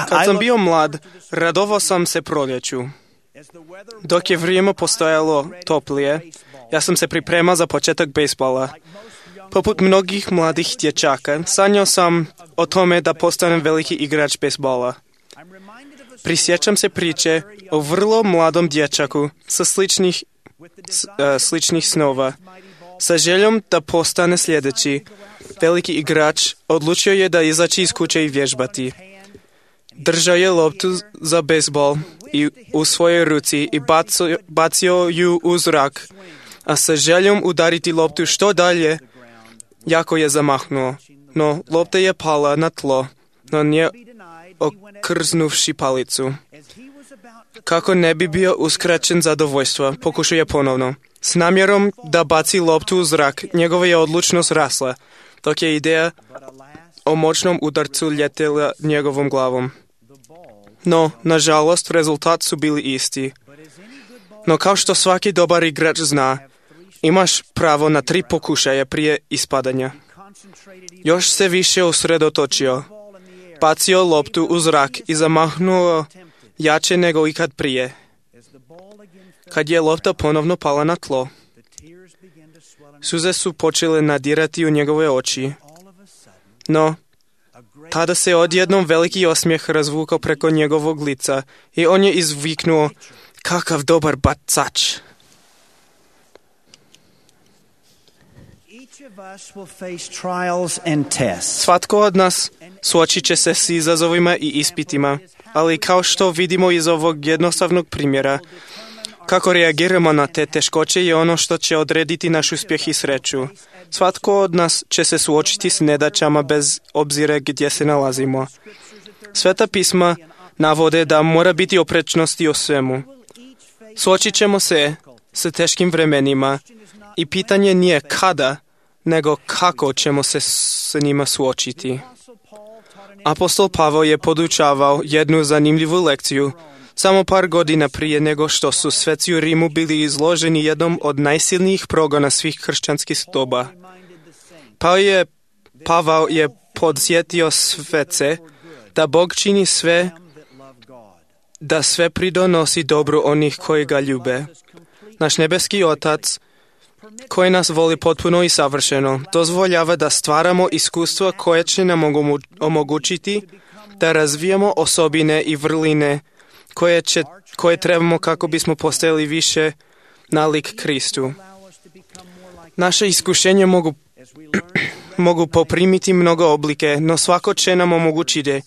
Kad sam bio mlad, radovao sam se proljeću. Dok je vrijeme postojalo toplije, ja sam se pripremao za početak bejsbola. Poput mnogih mladih dječaka, sanjao sam o tome da postanem veliki igrač bejsbola. Prisjećam se priče o vrlo mladom dječaku sa sličnih snova. Sa željom da postane sljedeći veliki igrač, odlučio je da izaći iz kuće i vježbati. Držao je loptu za bejsbol u svojoj ruci i bacio ju u zrak, a sa željom udariti loptu što dalje, jako je zamahnuo. No, lopta je pala na tlo, no nije okrznuvši palicu. Kako ne bi bio uskraćen zadovoljstva, pokušao je ponovno. S namjerom da baci loptu u zrak, njegova je odlučnost rasla, dok je ideja o moćnom udarcu ljetela njegovom glavom. No, nažalost, rezultat su bili isti. No, kao što svaki dobar igrač zna, imaš pravo na 3 pokušaja prije ispadanja. Još se više usredotočio, bacio loptu u zrak i zamahnuo jače nego ikad prije. Kad je lopta ponovno pala na tlo, suze su počele nadirati u njegove oči. No, tada se odjednom veliki osmijeh razvukao preko njegovog lica i on je izviknuo, kakav dobar bacač. Svatko od nas suočit će se s izazovima i ispitima, ali kao što vidimo iz ovog jednostavnog primjera, kako reagiramo na te teškoće je ono što će odrediti naš uspjeh i sreću. Svatko od nas će se suočiti s nedaćama bez obzira gdje se nalazimo. Sveta pisma navode da mora biti oprečnosti o svemu. Suočit ćemo se s teškim vremenima i pitanje nije kada, nego kako ćemo se s njima suočiti. Apostol Pavao je podučavao jednu zanimljivu lekciju samo par godina prije nego što su sveci u Rimu bili izloženi jednom od najsilnijih progona svih kršćanskih doba. Pavao je podsjetio svece da Bog čini sve, da sve pridonosi dobru onih koji ga ljube. Naš nebeski Otac, koji nas voli potpuno i savršeno, dozvoljava da stvaramo iskustva koje će nam omogućiti da razvijamo osobine i vrline koje trebamo kako bismo postajali više nalik Kristu. Naše iskušenje mogu poprimiti mnogo oblike, no svako će nam omogućiti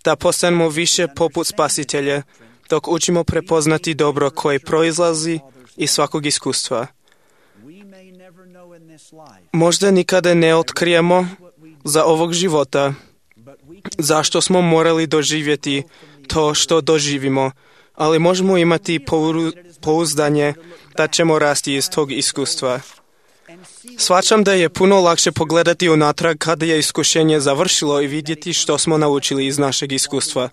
da postanemo više poput Spasitelja, dok učimo prepoznati dobro koje proizlazi iz svakog iskustva. Možda nikada ne otkrijemo za ovog života zašto smo morali doživjeti to što doživimo, ali možemo imati pouzdanje da ćemo rasti iz tog iskustva. Shvaćam da je puno lakše pogledati unatrag kada je iskušenje završilo i vidjeti što smo naučili iz našeg iskustva.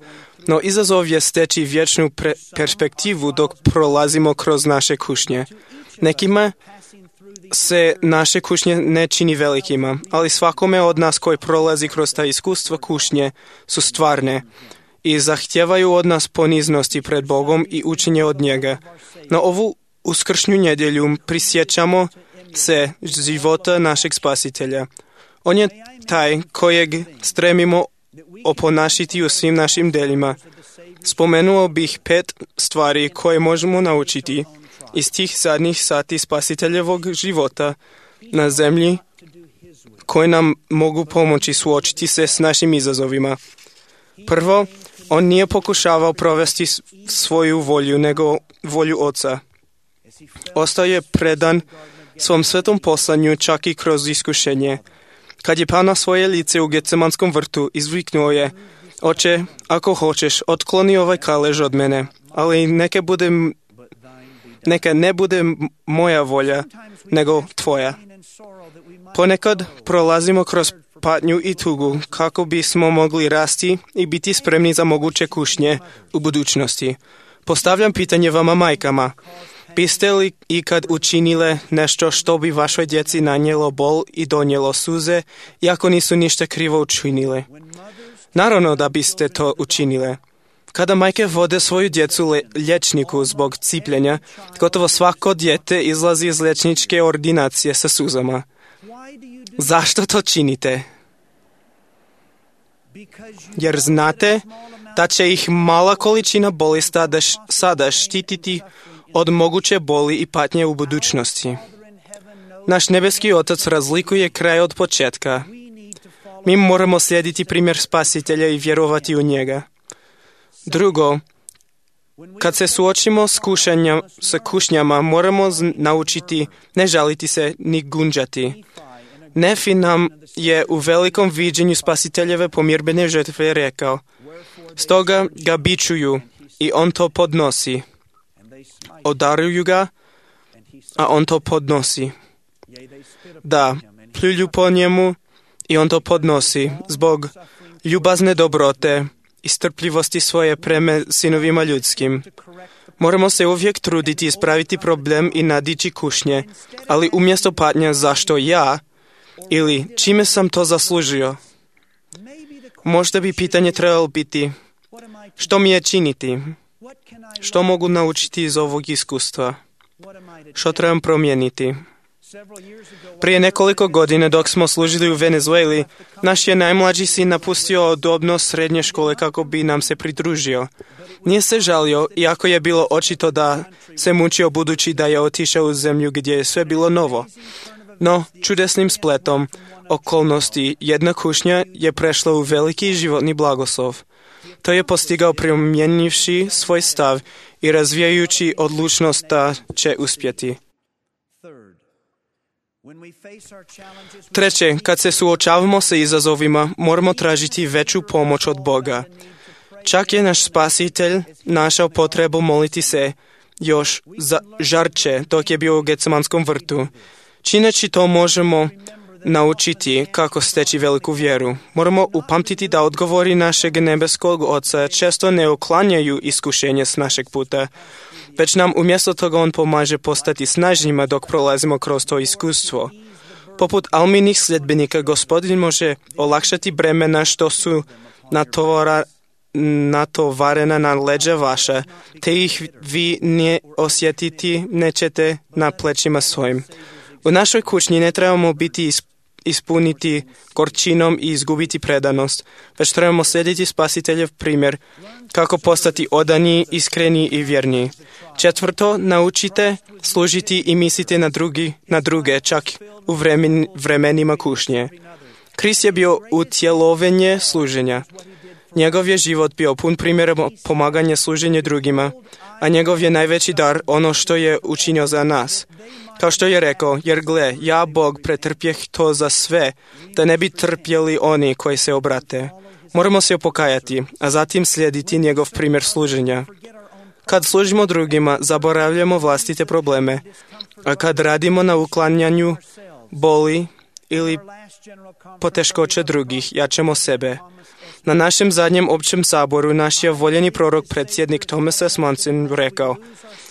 No izazov je steći vječnu perspektivu dok prolazimo kroz naše kušnje. Nekima se naše kušnje ne čini velikima, ali svakome od nas koji prolazi kroz ta iskustva kušnje su stvarne i zahtijevaju od nas poniznosti pred Bogom i učenje od njega. Na ovu uskršnju nedjelju prisjećamo se života našeg Spasitelja. On je taj kojeg stremimo oponašiti u svim našim delima. Spomenuo bih 5 stvari koje možemo naučiti iz tih zadnjih sati Spasiteljevog života na zemlji koje nam mogu pomoći suočiti se s našim izazovima. Prvo, on nije pokušavao provesti svoju volju, nego volju Oca. Ostao je predan svom svetom poslanju čak i kroz iskušenje. Kad je pao na svoje lice u Getsemanskom vrtu, izviknuo je: Oče, ako hoćeš, otkloni ovaj kalež od mene, ali neka ne bude moja volja, nego tvoja. Ponekad prolazimo kroz patnju i tugu kako bismo mogli rasti i biti spremni za moguće kušnje u budućnosti. Postavljam pitanje vama majkama. Biste li ikad učinile nešto što bi vašoj djeci nanijelo bol i donijelo suze, iako nisu ništa krivo učinile? Naravno da biste to učinile. Kada majke vode svoju djecu liječniku zbog cipljenja, gotovo svako dijete izlazi iz liječničke ordinacije sa suzama. Zašto to činite? Jer znate da će ih mala količina bolesti sada štititi od moguće boli i patnje u budućnosti. Naš nebeski Otac razlikuje kraj od početka. Mi moramo slijediti primjer Spasitelja i vjerovati u njega. Drugo, kad se suočimo s kušnjama, moramo naučiti ne žaliti se ni gunđati. Nefi nam je u velikom viđenju Spasiteljeve pomirbene žrtve rekao: stoga ga bičuju i on to podnosi. Odaruju ga, a on to podnosi. Da, pljuju po njemu i on to podnosi zbog ljubazne dobrote i strpljivosti svoje prema sinovima ljudskim. Moramo se uvijek truditi ispraviti problem i nadići kušnje, ali umjesto patnja zašto ja ili čime sam to zaslužio. Možda bi pitanje trebalo biti: što mi je činiti? Što mogu naučiti iz ovog iskustva? Što trebam promijeniti? Prije nekoliko godina dok smo služili u Venezueli, naš je najmlađi sin napustio udobno srednje škole kako bi nam se pridružio. Nije se žalio, iako je bilo očito da se mučio budući da je otišao u zemlju gdje je sve bilo novo. No, čudesnim spletom okolnosti jedna kušnja je prešla u veliki životni blagoslov. To je postigao promijenivši svoj stav i razvijajući odlučnost da će uspjeti. Treće, kad se suočavamo sa izazovima, moramo tražiti veću pomoć od Boga. Čak je naš Spasitelj našao potrebu moliti se još žarče dok je bio u Getsemanskom vrtu. Čineći to možemo naučiti kako steći veliku vjeru. Moramo upamtiti da odgovori našeg nebeskog Oca često ne uklanjaju iskušenje s našeg puta, već nam umjesto toga on pomaže postati snažnjima dok prolazimo kroz to iskustvo. Poput Alminih sljedbenika, Gospodin može olakšati bremena što su natovarena na leđa vaša, te ih vi ne osjetiti nećete na plećima svojim. U našoj kućni ne trebamo biti ispuniti gorčinom i izgubiti predanost, već trebamo slijediti Spasiteljev primjer kako postati odani, iskreni i vjerni. Četvrto, naučite služiti i mislite na druge, čak u vremenima kušnje. Krist je bio utjelovljenje služenja. Njegov je život bio pun primjera pomaganja služenja drugima, a njegov je najveći dar ono što je učinio za nas. Kao što je rekao, jer gle, ja Bog pretrpjeh to za sve, da ne bi trpjeli oni koji se obrate. Moramo se pokajati, a zatim slijediti njegov primjer služenja. Kad služimo drugima, zaboravljamo vlastite probleme, a kad radimo na uklanjanju boli ili poteškoće drugih, jačamo sebe. Na našem zadnjem općem saboru naš je voljeni prorok predsjednik Thomas S. Monson rekao: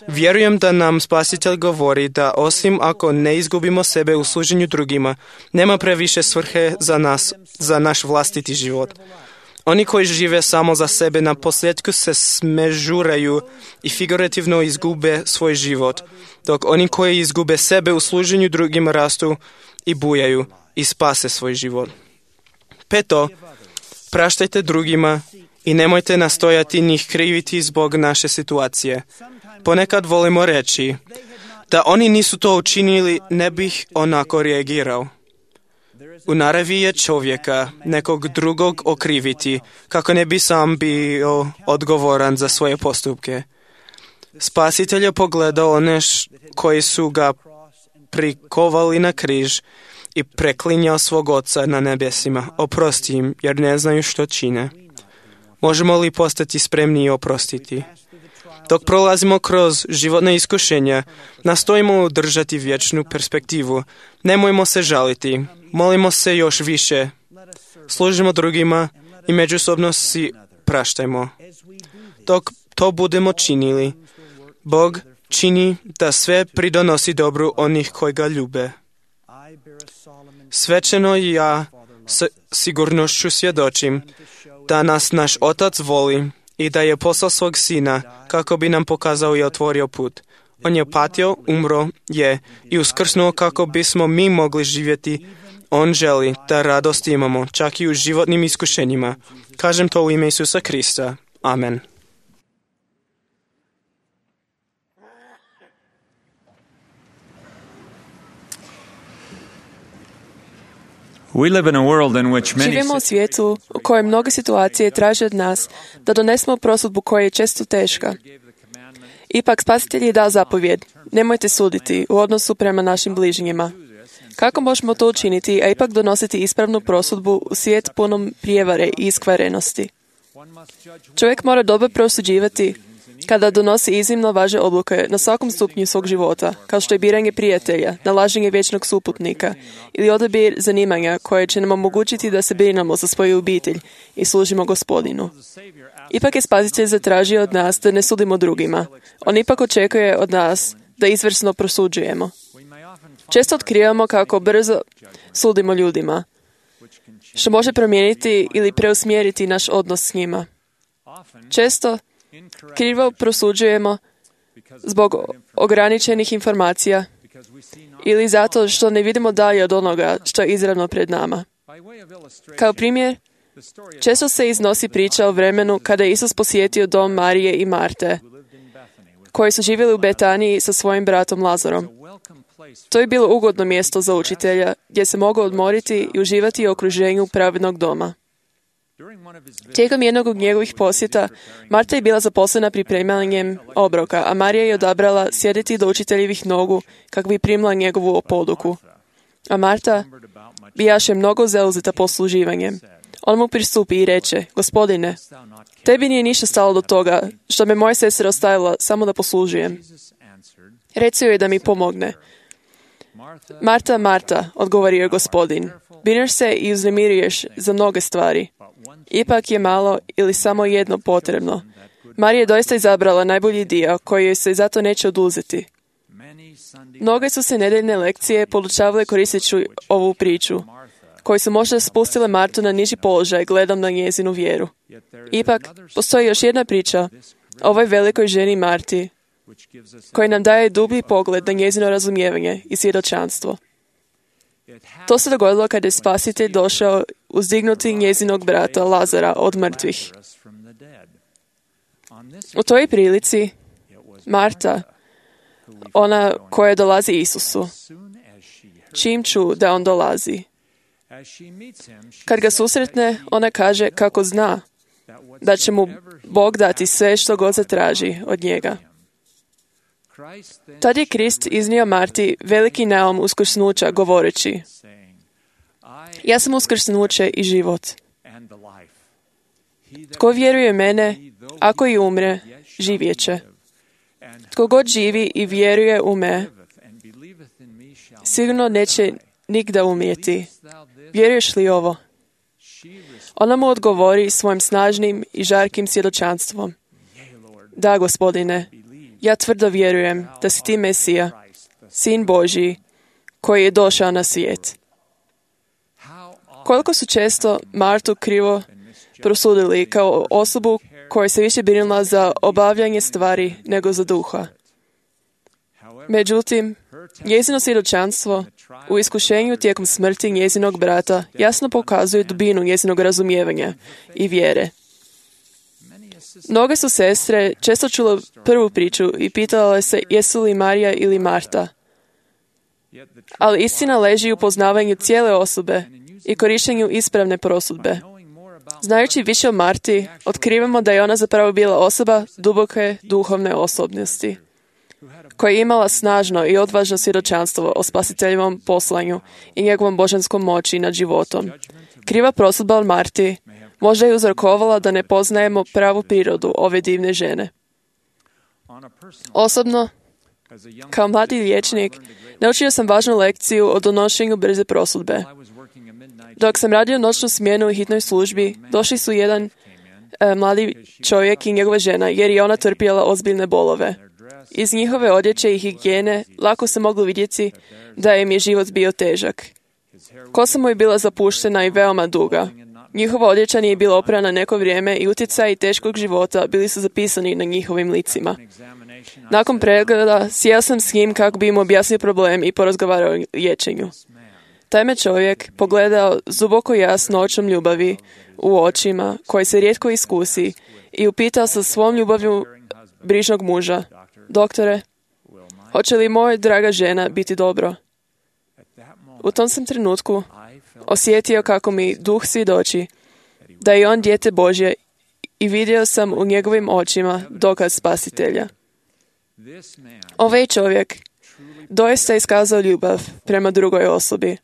vjerujem da nam Spasitelj govori da osim ako ne izgubimo sebe u služenju drugima, nema previše svrhe za nas, za naš vlastiti život. Oni koji žive samo za sebe na posljedku se smežuraju i figurativno izgube svoj život, dok oni koji izgube sebe u služenju drugima rastu i bujaju i spase svoj život. Peto, praštajte drugima i nemojte nastojati njih kriviti zbog naše situacije. Ponekad volimo reći: da oni nisu to učinili, ne bih onako reagirao. U naravi je čovjeka nekog drugog okriviti, kako ne bi sam bio odgovoran za svoje postupke. Spasitelj je pogledao one koji su ga prikovali na križ i preklinjao svog Oca na nebesima: oprosti im, jer ne znaju što čine. Možemo li postati spremni i oprostiti? Dok prolazimo kroz životna iskušenja, nastojimo držati vječnu perspektivu. Nemojmo se žaliti, molimo se još više, služimo drugima i međusobno si praštajmo. Dok to budemo činili, Bog čini da sve pridonosi dobru onih koji ga ljube. Svečano ja s sigurnošću svjedočim da nas naš Otac voli i da je poslao svog Sina kako bi nam pokazao i otvorio put. On je patio, umro je i uskrsnuo kako bismo mi mogli živjeti. On želi da radost imamo, čak i u životnim iskušenjima. Kažem to u ime Isusa Krista. Amen. Živimo u svijetu u kojem mnoge situacije traže od nas da donesemo prosudbu koja je često teška. Ipak Spasitelj je dao zapovjed: nemojte suditi u odnosu prema našim bližnjima. Kako možemo to učiniti, a ipak donositi ispravnu prosudbu u svijet punom prijevare i iskvarenosti? Čovjek mora dobro prosuđivati kada donosi iznimno važne odluke na svakom stupnju svog života, kao što je biranje prijatelja, nalaženje vječnog suputnika ili odabir zanimanja koje će nam omogućiti da se brinemo za svoju obitelj i služimo Gospodinu. Ipak je Spasitelj zatražio od nas da ne sudimo drugima. On ipak očekuje od nas da izvrsno prosuđujemo. Često otkrivamo kako brzo sudimo ljudima, što može promijeniti ili preusmjeriti naš odnos s njima. Često krivo prosuđujemo zbog ograničenih informacija ili zato što ne vidimo dalje od onoga što je izravno pred nama. Kao primjer, često se iznosi priča o vremenu kada je Isus posjetio dom Marije i Marte, koji su živjeli u Betaniji sa svojim bratom Lazarom. To je bilo ugodno mjesto za učitelja, gdje se mogao odmoriti i uživati u okruženju pravednog doma. Tijekom jednog od njegovih posjeta, Marta je bila zaposlena pripremanjem obroka, a Marija je odabrala sjediti do učiteljevih nogu kako bi primila njegovu poduku. A Marta bijaše mnogo zauzeta posluživanjem. On mu pristupi i reče: Gospodine, tebi nije ništa stalo do toga što me moja sestra ostavila samo da poslužujem. Reci joj da mi pomogne. Marta, Marta, odgovorio je Gospodin, brineš se i uznemiruješ za mnoge stvari. Ipak je malo ili samo jedno potrebno. Marija je doista izabrala najbolji dio koji joj se zato neće oduzeti. Mnoge su se nedeljne lekcije podučavale koristeći ovu priču, koji su možda spustile Martu na niži položaj gledom na njezinu vjeru. Ipak, postoji još jedna priča o ovoj velikoj ženi Marti, koji nam daje dublji pogled na njezino razumijevanje i svjedočanstvo. To se dogodilo kada je Spasitelj došao uzdignuti njezinog brata Lazara od mrtvih. U toj prilici Marta, ona koja dolazi Isusu, čim ču da on dolazi. Kad ga susretne, ona kaže kako zna da će mu Bog dati sve što god zatraži od njega. Tad je Krist iznio Marti veliki naum uskrsnuća govoreći: ja sam uskrsnuće i život. Tko vjeruje mene, ako i umre, živjet će. Tko god živi i vjeruje u me, sigurno neće nigda umrijeti. Vjeruješ li ovo? Ona mu odgovori svojim snažnim i žarkim svjedočanstvom: da, Gospodine, ja tvrdo vjerujem da si ti Mesija, Sin Božji, koji je došao na svijet. Koliko su često Martu krivo prosudili kao osobu koja se više brinula za obavljanje stvari nego za duha. Međutim, njezino svjedočanstvo u iskušenju tijekom smrti njezinog brata jasno pokazuje dubinu njezinog razumijevanja i vjere. Mnoge su sestre često čule prvu priču i pitale se jesu li Marija ili Marta. Ali istina leži u poznavanju cijele osobe i korištenju ispravne prosudbe. Znajući više o Marti, otkrivamo da je ona zapravo bila osoba duboke duhovne osobnosti, koja je imala snažno i odvažno svjedočanstvo o Spasiteljevom poslanju i njegovom božanskom moći nad životom. Kriva prosudba od Marti možda je uzrokovala da ne poznajemo pravu prirodu ove divne žene. Osobno, kao mladi liječnik, naučio sam važnu lekciju o donošenju brze prosudbe. Dok sam radio noćnu smjenu u hitnoj službi, došli su jedan mladi čovjek i njegova žena, jer je ona trpjela ozbiljne bolove. Iz njihove odjeće i higijene lako se moglo vidjeti da im je život bio težak. Kosa mu je bila zapuštena i veoma duga. Njihova odjeća nije bila oprana neko vrijeme i utjecaji teškog života bili su zapisani na njihovim licima. Nakon pregleda sjeo sam s njim kako bi im objasnio problem i porazgovarao o liječenju. Taj me čovjek pogledao duboko jasno očom ljubavi u očima, koje se rijetko iskusi, i upitao sa svom ljubavlju brižnog muža: doktore, hoće li moja draga žena biti dobro? U tom sam trenutku osjetio kako mi duh svjedoči da je on dijete Božje i vidio sam u njegovim očima dokaz spasitelja. Ovaj čovjek doista iskazao ljubav prema drugoj osobi,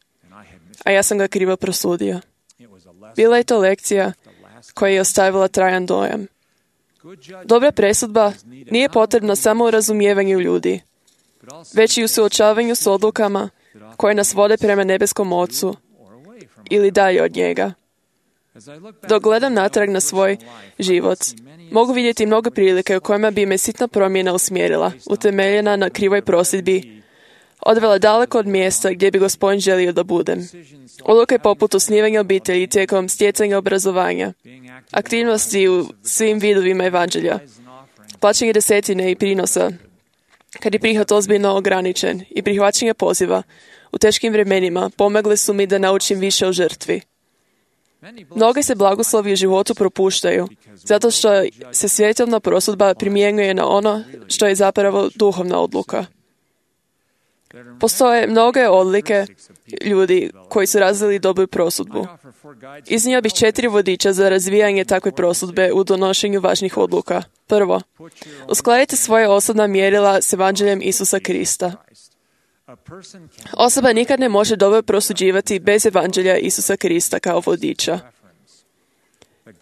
a ja sam ga krivo prosudio. Bila je to lekcija koja je ostavila trajan dojam. Dobra presudba nije potrebna samo u razumijevanju ljudi, već i u suočavanju s odlukama koje nas vode prema nebeskom Ocu ili dalje od njega. Dok gledam natrag na svoj život, mogu vidjeti mnogo prilike u kojima bi me sitna promjena usmjerila, utemeljena na krivoj prosudbi, odvela daleko od mjesta gdje bi Gospodin želio da budem. Odluke poput osnivanja obitelji tijekom stjecanja obrazovanja, aktivnosti u svim vidovima evanđelja, plaćanje desetine i prinosa, kad je prihod ozbiljno ograničen, i prihvaćanje poziva u teškim vremenima pomogli su mi da naučim više o žrtvi. Mnogi se blagoslovi u životu propuštaju, zato što se svjetovna prosudba primjenjuje na ono što je zapravo duhovna odluka. Postoje mnoge odlike ljudi koji su razvili dobru prosudbu. Iznio bih 4 vodiča za razvijanje takve prosudbe u donošenju važnih odluka. Prvo, uskladite svoje osobna mjerila s evanđeljem Isusa Krista. Osoba nikad ne može dobro prosuđivati bez evanđelja Isusa Krista kao vodiča.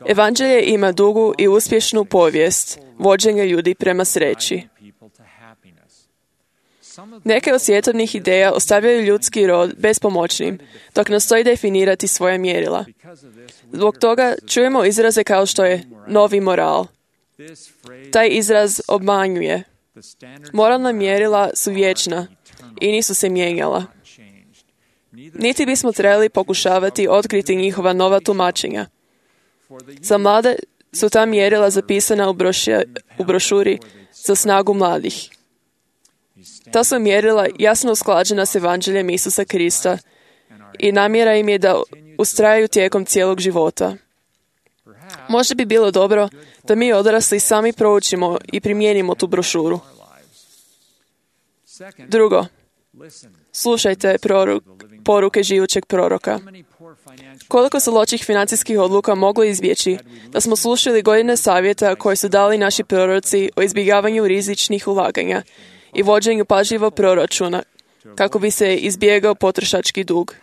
Evanđelje ima dugu i uspješnu povijest vođenja ljudi prema sreći. Neke od svjetovnih ideja ostavljaju ljudski rod bespomoćnim, dok nastoji definirati svoja mjerila. Zbog toga čujemo izraze kao što je novi moral. Taj izraz obmanjuje. Moralna mjerila su vječna i nisu se mijenjala. Niti bismo trebali pokušavati otkriti njihova nova tumačenja. Za mlade su ta mjerila zapisana u brošuri za snagu mladih. Ta su mjerila jasno usklađena s evanđeljem Isusa Krista i namjera im je da ustrajaju tijekom cijelog života. Možda bi bilo dobro da mi odrasli sami proučimo i primijenimo tu brošuru. Drugo, slušajte poruke živućeg proroka. Koliko su loših financijskih odluka moglo izbjeći da smo slušali godine savjeta koje su dali naši proroci o izbjegavanju rizičnih ulaganja i vođenju pažljivog proračuna kako bi se izbjegao potrošački dug.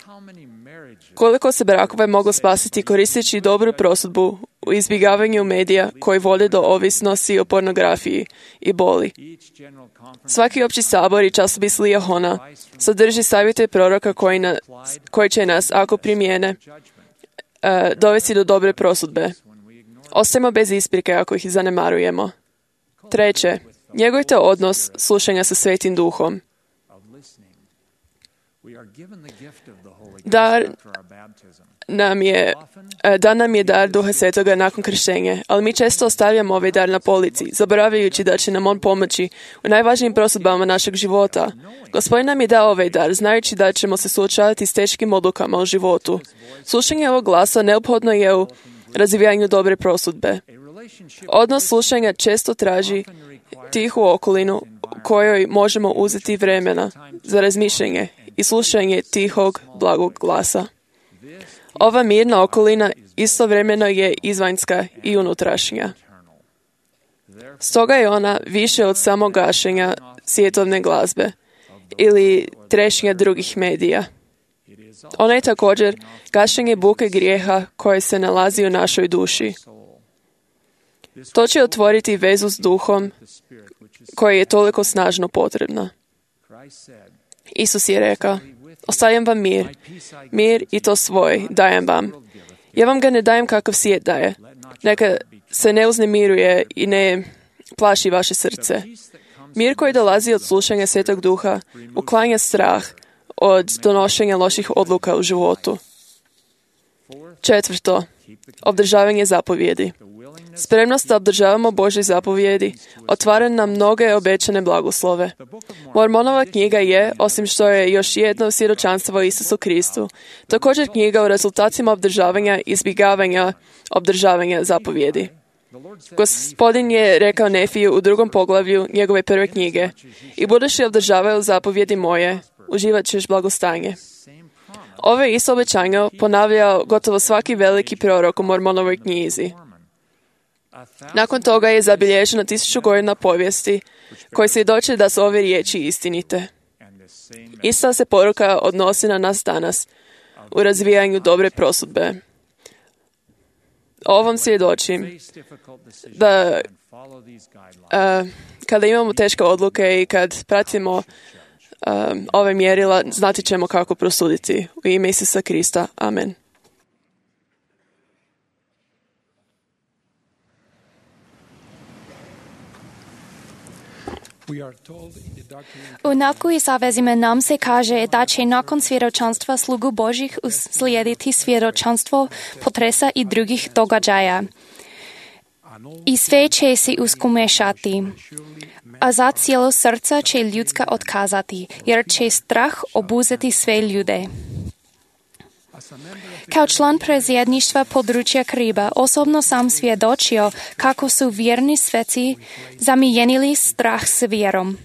Koliko se brakova moglo spasiti koristeći dobru prosudbu u izbjegavanju medija koji vode do ovisnosti o pornografiji i boli. Svaki opći sabor i časopis Lijahona sadrži savjete proroka koji će nas, ako primijene, dovesti do dobre prosudbe. Ostajemo bez isprike ako ih zanemarujemo. Treće, njegujte odnos slušanja sa Svetim Duhom. Dan nam je dar Duha Svetoga nakon krštenja, ali mi često ostavljamo ovaj dar na polici, zaboravljajući da će nam on pomoći u najvažnijim prosudbama našeg života. Gospodin nam je dao ovaj dar, znajući da ćemo se suočavati s teškim odlukama u životu. Slušanje ovog glasa neophodno je u razvijanju dobre prosudbe. Odnos slušanja često traži tihu okolinu u kojoj možemo uzeti vremena za razmišljanje i slušanje tihog, blagog glasa. Ova mirna okolina istovremeno je izvanjska i unutrašnja. Stoga je ona više od samog gašenja svjetovne glazbe ili trešnja drugih medija. Ona je također gašenje buke grijeha koje se nalazi u našoj duši. To će otvoriti vezu s duhom koja je toliko snažno potrebna. Isus je rekao: ostavljam vam mir i to svoj dajem vam. Ja vam ga ne dajem kakav svijet daje. Neka se ne uznemiruje i ne plaši vaše srce. Mir koji dolazi od slušanja Svetog Duha uklanja strah od donošenja loših odluka u životu. Četvrto, Obdržavanje zapovjedi. Spremnost da obdržavamo Božje zapovjedi otvara nam mnoge obećane blagoslove. Mormonova knjiga je, osim što je još jedno svjedočanstvo o Isusu Kristu, također knjiga o rezultatima obdržavanja i izbjegavanja obdržavanja zapovjedi. Gospodin je rekao Nefiju u 2. poglavlju njegove prve knjige: "I budeš li obdržavao zapovjedi moje, uživat ćeš blagostanje." Ove isto obećanje ponavljao gotovo svaki veliki prorok u Mormonovoj knjizi. Nakon toga je zabilježeno 1000 godina povijesti koji svjedoče da su ove riječi istinite. Ista se poruka odnosi na nas danas u razvijanju dobre prosudbe. Ovom svjedočim da kada imamo teške odluke i kad pratimo ove mjerila, znati ćemo kako prosuditi. U ime Isusa Krista. Amen. U nauku i savezima nam se kaže da će nakon svjedočanstva slugu Božih uslijediti svjedočanstvo potresa i drugih događaja. I sve će se uskomešati, a za cijelo srca će ljudska otkazati, jer će strah obuzeti sve ljude. Kao član predsjedništva područja Kariba osobno sam svjedočio kako su vjerni sveci zamijenili strah s vjerom.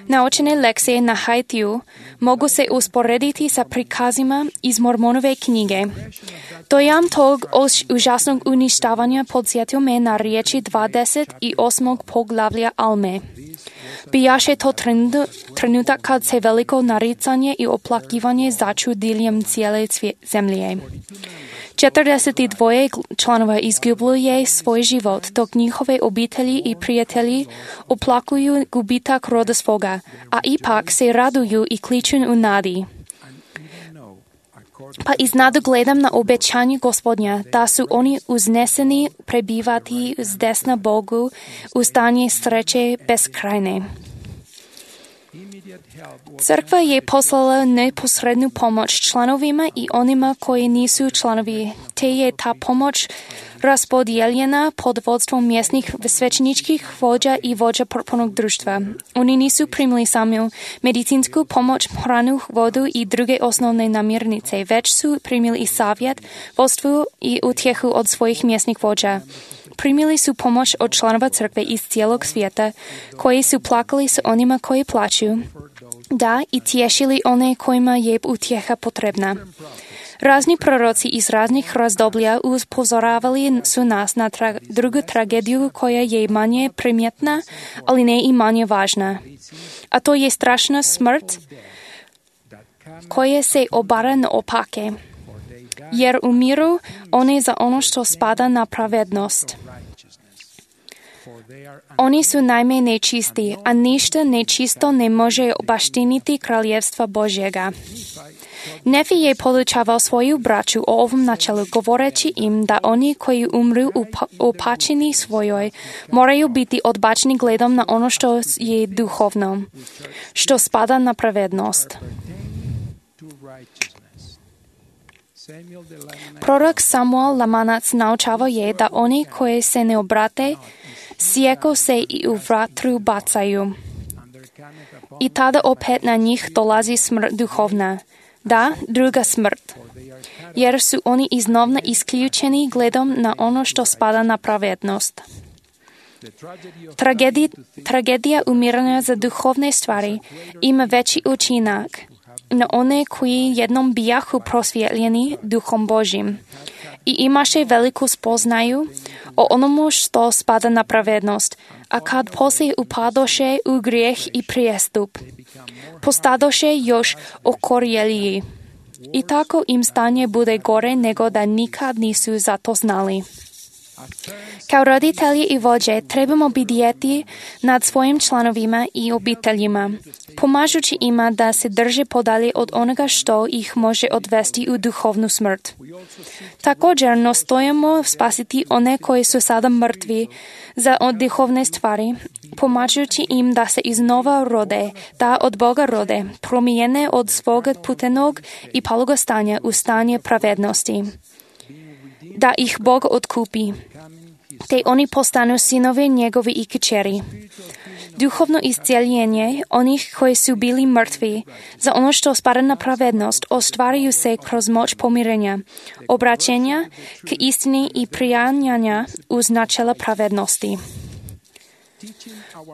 Naučene lekcije na Haitiju mogu se usporediti sa prikazima iz Mormonove knjige. Dojam tog užasnog uništavanja podsjetio me na riječi 28. poglavlja Alme. Bijaše to trenutak kad se veliko naricanje i oplakivanje začu diljem cijele zemlje. 42 članova izgubljuje svoj život, dok njihove obitelji i prijatelji oplakuju gubitak roda svoga, a ipak se raduju i kliču u nadi. Pa iznad gledam na obećanje Gospodnja, da su oni uzneseni prebivati s desna Bogu u stanje sreće beskrajne. Crkva je poslala neposrednu pomoć članovima i onima koji nisu članovi, te je ta pomoć raspodijeljena pod vodstvom mjesnih svećeničkih vođa i vođa potpornog društva. Oni nisu primili samo medicinsku pomoć, hranu, vodu i druge osnovne namirnice, već su primili i savjet, vodstvo i utjehu od svojih mjesnih vođa. Primili su pomoć od članova crkve iz cijelog svijeta, koji su plakali s onima koji plaću, da i tješili one kojima je utjeha potrebna. Razni proroci iz raznih razdoblja upozoravali su nas na drugu tragediju koja je manje primjetna, ali ne i manje važna. A to je strašna smrt koja se obara naopake, jer umiru one za ono što spada na pravednost. Oni su najme nečisti, a ništa nečisto ne može baštiniti kraljevstva Božjega. Nefi je podučavao svoju braću o ovom načelu, govoreći im da oni koji umru u pačini svojoj moraju biti odbačeni gledom na ono što je duhovno, što spada na pravednost. Prorok Samuel Lamanac naučavao je da oni koji se ne obrate, sjeko se i u vatru bacaju. I tada opet na njih dolazi smrt duhovna. Da, druga smrt. Jer su oni iznova isključeni gledom na ono što spada na pravednost. Tragedija umiranja za duhovne stvari ima veći učinak na one koji jednom bijahu prosvjetljeni duhom Božim i imaše veliku spoznaju o onomu što spada na pravednost, a kad poslije upadoše u grijeh i prijestup, postadoše još okorjeliji. I tako im stanje bude gore nego da nikad nisu za to znali. Kao roditelji i vođe trebamo bdjeti nad svojim članovima i obiteljima, pomažući ima da se drže podalje od onoga što ih može odvesti u duhovnu smrt. Također nastojimo spasiti one koji su sada mrtvi za duhovne stvari, pomažući im da se iznova rode, da od Boga rode, promijene od svoga putenog i palog stanja u stanje pravednosti. da ih Bog odkúpi. Te oni postanú synovia njegovi i kćeri. Duchovno iscijeljenje onih koji su bili mrtvi za ono što spada na pravednost ostvaruju se kroz moć pomirenja, obraćenja k istini i prijanjanja uz načela pravednosti.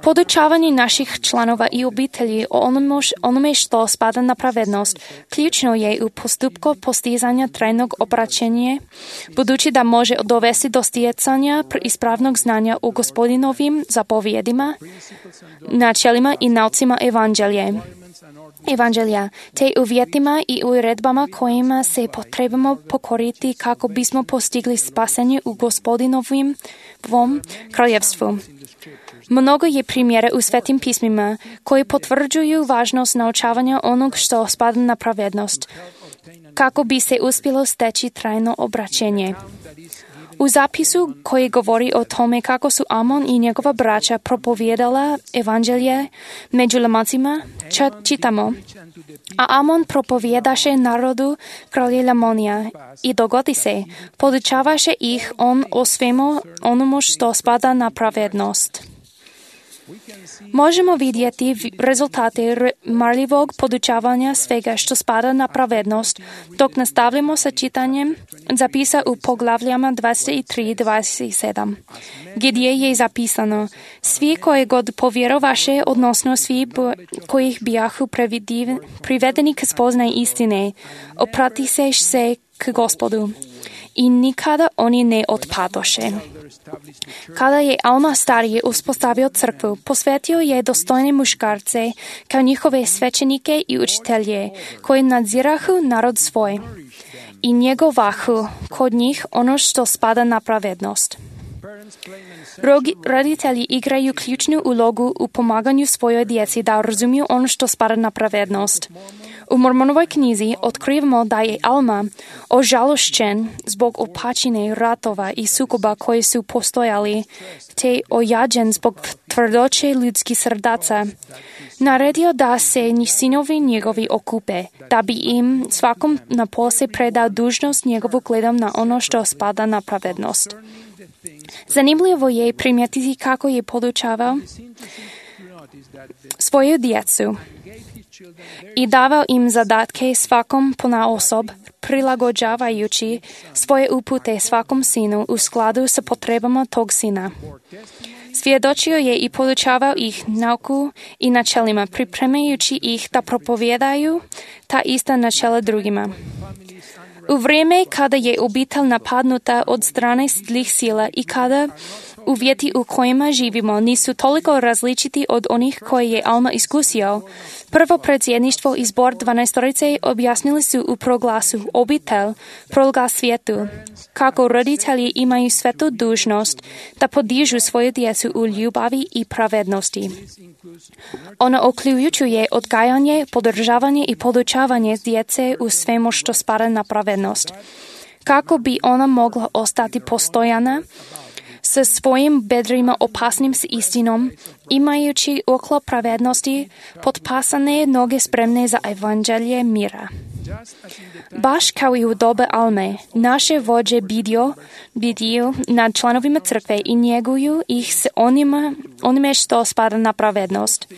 Podučavanje naših članova i obitelji o onome što spada na pravednost ključno je u postupku postizanja trajnog obraćenja, budući da može dovesti do stjecanja ispravnog znanja u Gospodinovim zapovjedima, načelima i naucima Evanđelja, te uvjetima i uredbama kojima se potrebamo pokoriti kako bismo postigli spasenje u Gospodinovom kraljevstvu. Mnogo je primjera u Svetim pismima koji potvrđuju važnost naučavanja onog što spada na pravednost, kako bi se uspjelo steći trajno obraćenje. U zapisu koji govori o tome kako su Amon i njegova braća propovijedala evanđelje među Lamancima, čitamo: a Amon propovjedaše narodu kralje Lamonija i dogodi se, podučavaše ih on o svemu onomu što spada na pravednost. Možemo vidjeti rezultate marljivog podučavanja svega što spada na pravednost, dok nastavljamo sa čitanjem zapisa u poglavljama 23 i 27, gdje je zapisano: svi koji god povjerovaše, odnosno svi kojih bijahu privedeni k spoznaj istine, opratiše se k Gospodu i nikada oni ne otpadoše. Kada je Alma stariji uspostavio crkvu, posvetio je dostojne muškarce kao njihove svećenike i učitelje, koji nadzirahu narod svoj i njegovahu kod njih ono što spada na pravednost. Roditelji igraju ključnu ulogu u pomaganju svojoj djeci da razumiju ono što spada na pravednost. U Mormonovoj knjizi otkrivamo da je Alma ožalošćen zbog opačine ratova i sukoba koji su postojali, te ojađen zbog tvrdoće ljudskih srdaca. Naredio da se sinovi njegovi okupe, da bi im svakom na posle predao dužnost njegovu gledom na ono što spada na pravednost. Zanimljivo je primijetiti kako je podučavao svoju djecu i davao im zadatke svakom ponaosob, prilagođavajući svoje upute svakom sinu u skladu sa potrebama tog sina. Svjedočio je i podučavao ih nauku i načelima, pripremajući ih da propovijedaju ta ista načela drugima. U vrijeme kada je obitelj napadnuta od strane zlih sila i kada uvjeti u kojima živimo nisu toliko različiti od onih koje je Alma iskusio, prvo predsjedništvo i zbor 12 objasnili su u proglasu obitelj, proglas svijetu, kako roditelji imaju svetu dužnost da podižu svoju djecu u ljubavi i pravednosti. Ono uključuje odgajanje, podržavanje i podučavanje djece u svemu što spada na pravednost, kako bi ona mogla ostati postojana sa svojim bedrima opasnim s istinom, imajući okolo pravednosti potpasane noge spremne za evanđelje mira. Baš kao i u dobe Alme, naše vođe bdiju nad članovima crkve i njeguju ih s onime što spada na pravednost.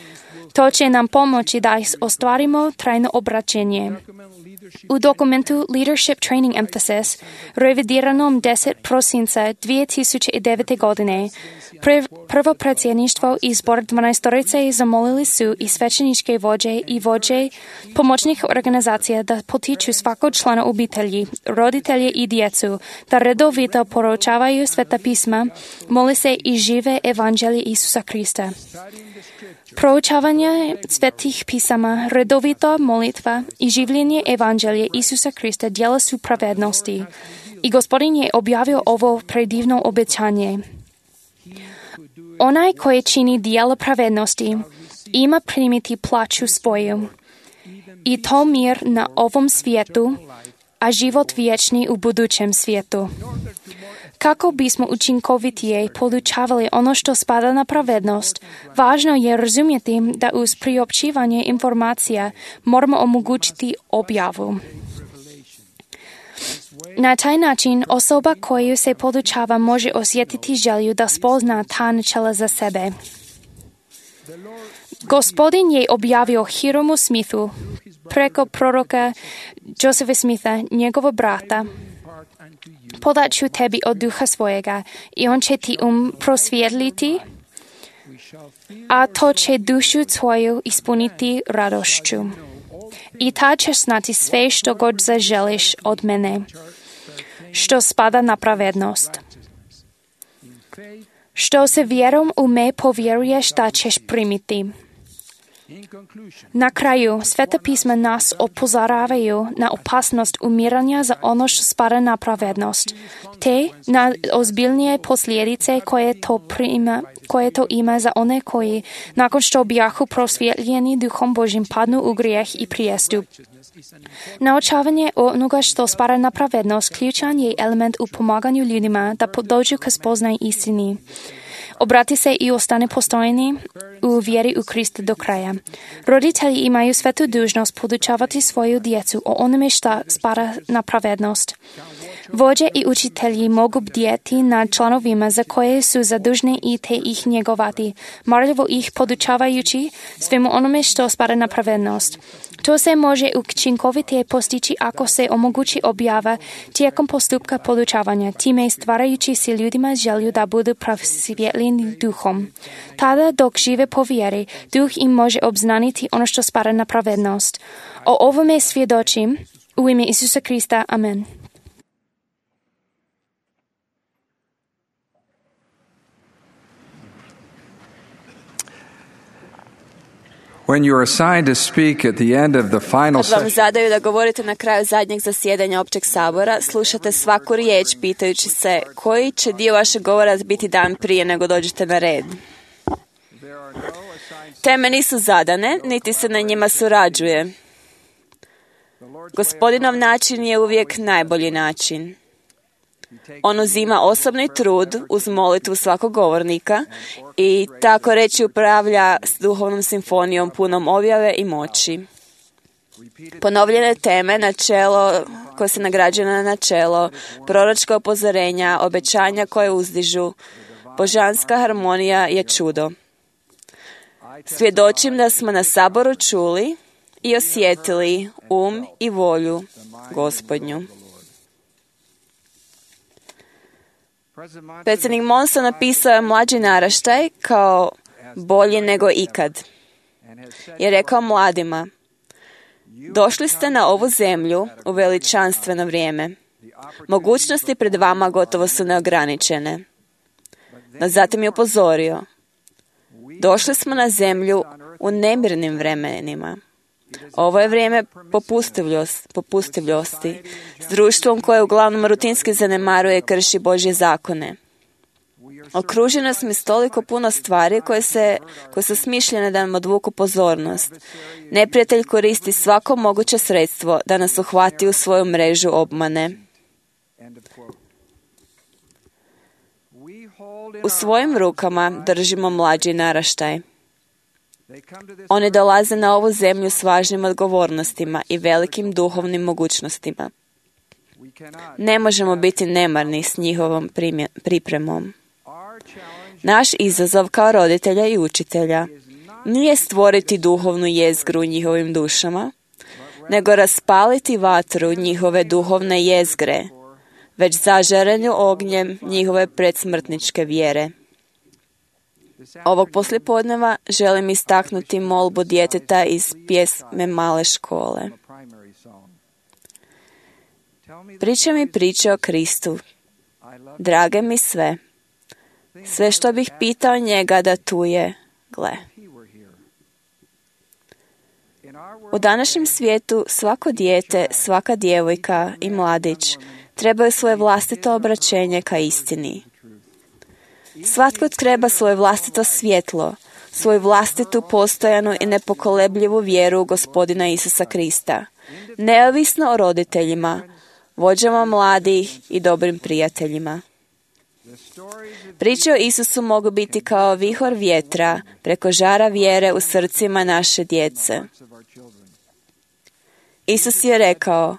To će nam pomoći da ostvarimo trajno obraćenje. U dokumentu Leadership Training Emphasis, revidiranom 10. prosinca 2009. godine, prvo predsjedništvo i zbor 12 zamolili su i svećeničke vođe i vođe pomoćnih organizacija da potiču svakog člana obitelji, roditelje i djecu, da redovito poručavaju sveta pisma, moli se i žive evanđelje Isusa Krista. Proučavanje svetih pisama, redovita molitva i življenje evanđelje Isusa Krista djela su pravednosti. I Gospodin je objavio ovo predivno obećanje. Onaj koji čini djela pravednosti ima primiti plaću svoju, i to mir na ovom svijetu, a život vječni u budućem svijetu. Kako bismo učinkovitije podučavali ono što spada na pravednost, važno je razumjeti da uz priopćivanje informacija moramo omogućiti objavu. Na taj način osoba koju se podučava može osjetiti želju da spozna ta načela za sebe. Gospodin je objavio Hiromu Smithu preko proroka Josepha Smitha, njegova brata. Podat ću tebi od duha svojega i on će ti prosvjetliti, a to će dušu tvoju ispuniti radošću. I tad ćeš znati sve što god zaželiš od mene, što spada na pravednost. Što se vjerom u me povjeruješ da ćeš primiti. Na kraju, Sveta pisma nas upozoravaju na opasnost umiranja za ono što spada na pravednost, te na ozbiljnije posljedice koje to ima za one koji, nakon što bijahu prosvjetljeni duhom Božim, padnu u grijeh i prijestup. Naučavanje onoga što spada na pravednost ključan je element u pomaganju ljudima da dođu k spoznaju istini. Obrati se i ostane postojni u vjeri u Krista do kraja. Roditelji imaju svetu dužnost podučavati svoju djecu o onome što spada na pravednost. Vođe i učitelji mogu bdjeti nad članovima za koje su zadužni i te ih njegovati, marljivo ih podučavajući svemu onome što spada na pravednost. To se može učinkovitije postići ako se omogući objava tijekom postupka podučavanja, time stvarajući si ljudima želju da budu prosvjetljeni duhom. Tada, dok žive po vjeri, duh im može obznaniti ono što spada na pravednost. O ovome svjedočim u ime Isusa Krista. Amen. When you are assigned to speak at the end of the final Kad vam zadaju da govorite na kraju zadnjeg zasjedanja općeg sabora, slušate svaku riječ pitajući se koji će dio vašeg govora biti dan prije nego dođete na red. Teme nisu zadane, niti se na njima surađuje. Gospodinov način je uvijek najbolji način. On uzima osobni trud uz molitvu svakog govornika i tako reći upravlja s duhovnom simfonijom punom objave i moći. Ponovljene teme, načelo koje se nagrađuje na načelo, proročka upozorenja, obećanja koje uzdižu, božanska harmonija je čudo. Svjedočim da smo na saboru čuli i osjetili i volju Gospodnju. Predsjednik Monson napisao je mlađi naraštaj kao bolji nego ikad. Je rekao mladima, došli ste na ovu zemlju u veličanstveno vrijeme. Mogućnosti pred vama gotovo su neograničene. No zatim je upozorio, došli smo na zemlju u nemirnim vremenima. Ovo je vrijeme popustljivosti, s društvom koje uglavnom rutinski zanemaruje i krši Božje zakone. Okruženo smo s toliko puno stvari koje su smišljene da nam odvuku pozornost. Neprijatelj koristi svako moguće sredstvo da nas uhvati u svoju mrežu obmane. U svojim rukama držimo mlađi naraštaj. Oni dolaze na ovu zemlju s važnim odgovornostima i velikim duhovnim mogućnostima. Ne možemo biti nemarni s njihovom pripremom. Naš izazov kao roditelja i učitelja nije stvoriti duhovnu jezgru u njihovim dušama, nego raspaliti vatru njihove duhovne jezgre, već zažarenju ognjem njihove predsmrtničke vjere. Ovog poslijepodneva želim istaknuti molbu djeteta iz pjesme Male škole. Priča mi priče o Kristu. Drage mi sve. Sve što bih pitao njega da tu je, gle. U današnjem svijetu svako dijete, svaka djevojka i mladić trebaju svoje vlastito obraćenje ka istini. Svatko treba svoje vlastito svjetlo, svoju vlastitu postojanu i nepokolebljivu vjeru u Gospodina Isusa Krista, neovisno o roditeljima, vođama mladih i dobrim prijateljima. Priče o Isusu mogu biti kao vihor vjetra preko žara vjere u srcima naše djece. Isus je rekao,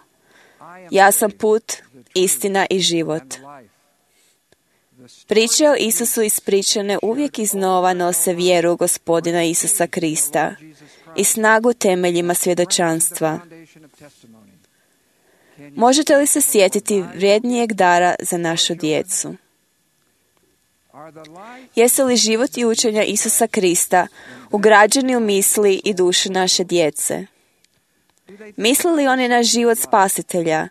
ja sam put, istina i život. Priče o Isusu ispričane uvijek iznova nose vjeru u Gospodina Isusa Krista i snagu temeljima svjedočanstva. Možete li se sjetiti vrijednijeg dara za našu djecu? Jesu li život i učenja Isusa Krista ugrađeni u misli i dušu naše djece? Misle li oni na život spasitelja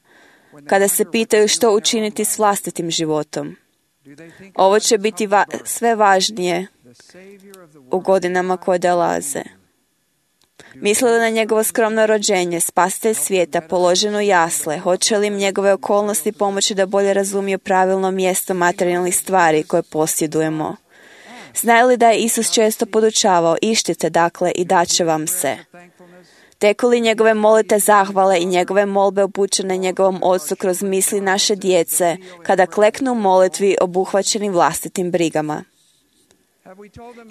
kada se pitaju što učiniti s vlastitim životom? Ovo će biti sve važnije u godinama koje dolaze. Misle li na njegovo skromno rođenje, spasitelj svijeta, položeno jasle, hoće li im njegove okolnosti pomoći da bolje razumiju pravilno mjesto materijalnih stvari koje posjedujemo? Znaju li da je Isus često podučavao, ištite dakle i daće vam se? Teku li njegove molite zahvale i njegove molbe upućene njegovom Otcu kroz misli naše djece, kada kleknu u molitvi obuhvaćeni vlastitim brigama?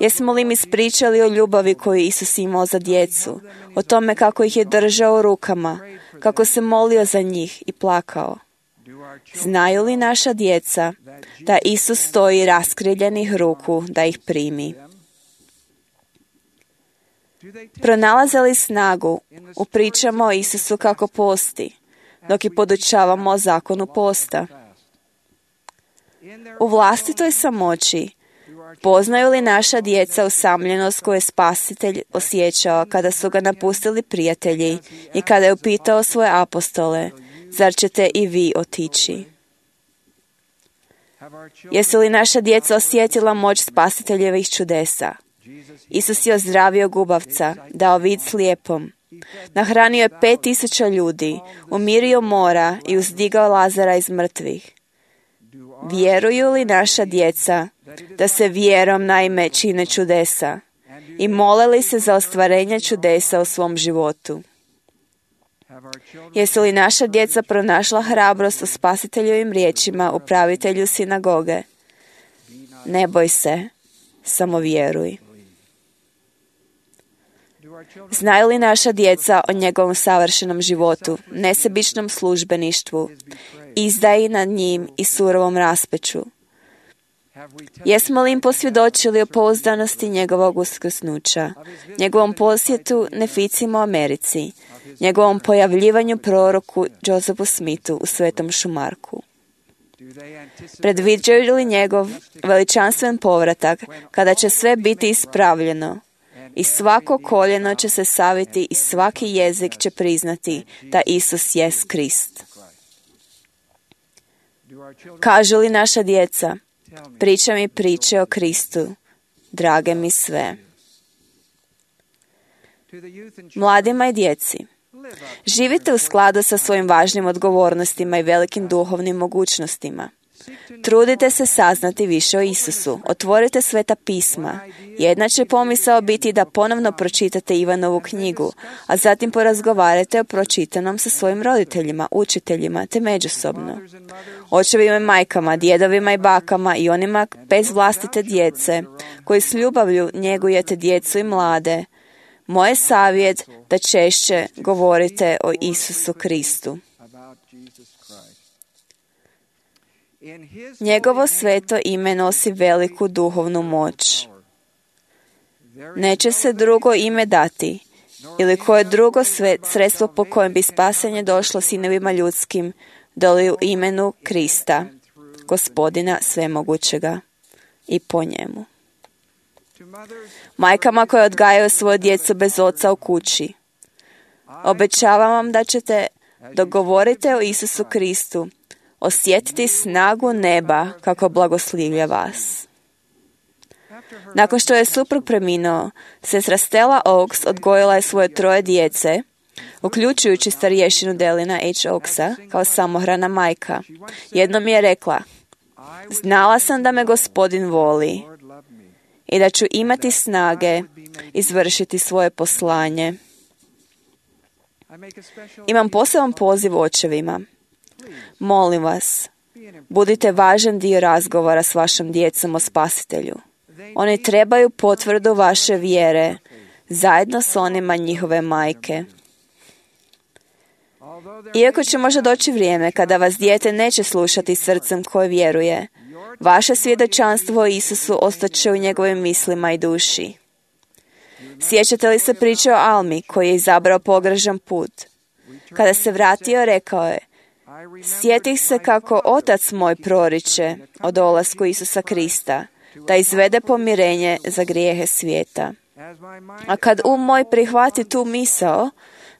Jesmo li im ispričali o ljubavi koju Isus imao za djecu, o tome kako ih je držao u rukama, kako se molio za njih i plakao? Znaju li naša djeca da Isus stoji raskriljenih ruku da ih primi? Pronalaze li snagu u pričama o Isusu kako posti, dok i podučavamo o zakonu posta? U vlastitoj samoći poznaju li naša djeca usamljenost koju je Spasitelj osjećao kada su ga napustili prijatelji i kada je upitao svoje apostole, zar ćete i vi otići? Jesu li naša djeca osjetila moć Spasiteljevih čudesa? Isus je ozdravio gubavca, dao vid slijepom, nahranio je 5,000 ljudi, umirio mora i uzdigao Lazara iz mrtvih. Vjeruju li naša djeca da se vjerom naime čine čudesa i mole li se za ostvarenje čudesa u svom životu? Jesu li naša djeca pronašla hrabrost u Spasiteljovim riječima upravitelju sinagoge? Ne boj se, samo vjeruj. Znaju li naša djeca o njegovom savršenom životu, nesebičnom službeništvu, izdaji nad njim i surovom raspeću? Jesmo li im posvjedočili o pouzdanosti njegovog uskrsnuća, njegovom posjetu neficima u Americi, njegovom pojavljivanju proroku Josephu Smithu u Svetom Šumarku? Predviđaju li njegov veličanstven povratak kada će sve biti ispravljeno i svako koljeno će se saviti i svaki jezik će priznati da Isus jest Krist? Kažu li naša djeca, priča mi priče o Kristu, drage mi sve? Mladima i djeci, živite u skladu sa svojim važnim odgovornostima i velikim duhovnim mogućnostima. Trudite se saznati više o Isusu. Otvorite Sveta pisma. Jedna će pomisao biti da ponovno pročitate Ivanovu knjigu, a zatim porazgovarate o pročitanom sa svojim roditeljima, učiteljima, te međusobno. Očevima i majkama, djedovima i bakama i onima bez vlastite djece, koji s ljubavlju njegujete djecu i mlade, moj je savjet da češće govorite o Isusu Kristu. Njegovo sveto ime nosi veliku duhovnu moć. Neće se drugo ime dati, ili koje drugo sredstvo po kojem bi spasenje došlo sinovima ljudskim, doli u imenu Krista, Gospodina svemogućega, i po njemu. Majkama koje odgajaju svoju djecu bez oca u kući, obećavam vam da ćete, dok govorite o Isusu Kristu, osjetiti snagu neba kako blagoslivlja vas. Nakon što je suprug preminuo, sestra Stella Oaks odgojila je svoje 3 djece, uključujući starješinu Delina H. Oaksa, kao samohrana majka. Jednom je rekla, znala sam da me Gospodin voli i da ću imati snage izvršiti svoje poslanje. Imam poseban poziv očevima. Molim vas, budite važan dio razgovora s vašom djecom o Spasitelju. Oni trebaju potvrdu vaše vjere, zajedno s onima njihove majke. Iako će možda doći vrijeme kada vas dijete neće slušati srcem koje vjeruje, vaše svjedočanstvo o Isusu ostaće u njegovim mislima i duši. Sjećate li se priče o Almi koji je izabrao pogrešan put? Kada se vratio, rekao je: sjetih se kako otac moj proriče o dolasku Isusa Krista, da izvede pomirenje za grijehe svijeta. A kad moj prihvati tu misao,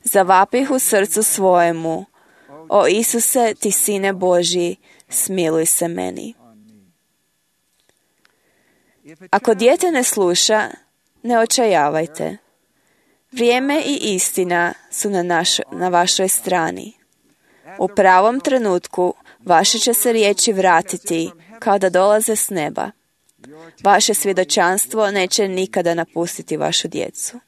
zavapih u srcu svojemu: o Isuse, ti sine Božji, smiluj se meni. Ako dijete ne sluša, ne očajavajte. Vrijeme i istina su na vašoj strani. U pravom trenutku vaše će se riječi vratiti kao da dolaze s neba. Vaše svjedočanstvo neće nikada napustiti vašu djecu.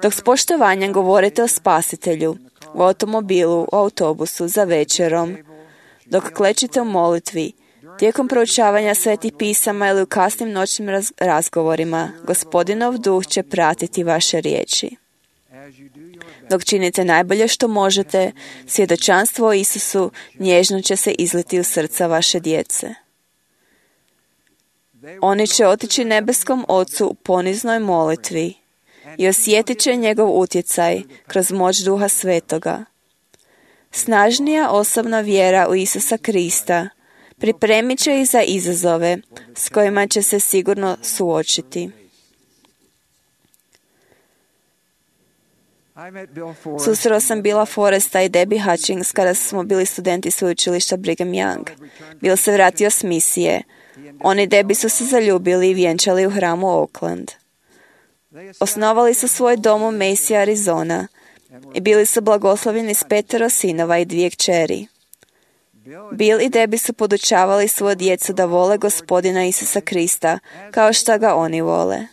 Dok s poštovanjem govorite o Spasitelju, u automobilu, u autobusu, za večerom, dok klečite u molitvi, tijekom proučavanja svetih pisama ili u kasnim noćnim razgovorima, Gospodinov duh će pratiti vaše riječi. Dok činite najbolje što možete, svjedočanstvo o Isusu nježno će se izliti u srca vaše djece. Oni će otići nebeskom Ocu u poniznoj molitvi i osjetit će njegov utjecaj kroz moć Duha Svetoga. Snažnija osobna vjera u Isusa Krista pripremit će ih za izazove s kojima će se sigurno suočiti. Susreo sam Billa Forresta i Debbie Hutchings kada smo bili studenti sveučilišta Brigham Young. Bill se vratio s misije. Oni i Debbie su se zaljubili i vjenčali u hramu Oakland. Osnovali su svoj dom u Mesa, Arizona i bili su blagoslovljeni s 5 sinova i 2 kćeri. Bill i Debbie su podučavali svoju djecu da vole Gospodina Isusa Krista kao što ga oni vole.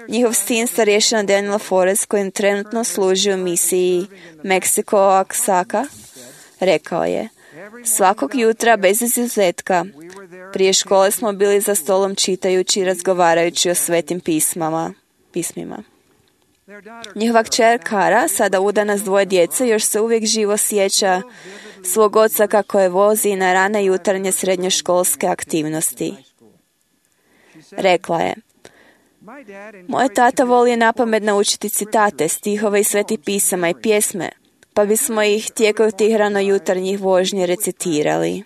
Njihov sin, starješina Daniel Forrest, kojim trenutno služi u misiji Meksiko Oaxaca, rekao je: svakog jutra, bez izuzetka, prije škole smo bili za stolom čitajući i razgovarajući o svetim pismima. Njihova kćer Kara, sada udana s 2 djece, još se uvijek živo sjeća svog oca kako je vozi na rane jutarnje srednjoškolske aktivnosti. Rekla je: moj tata voli napamet naučiti citate, stihove iz svetih pisama i pjesme, pa bismo ih tijekom tih ranojutarnjih vožnji recitirali.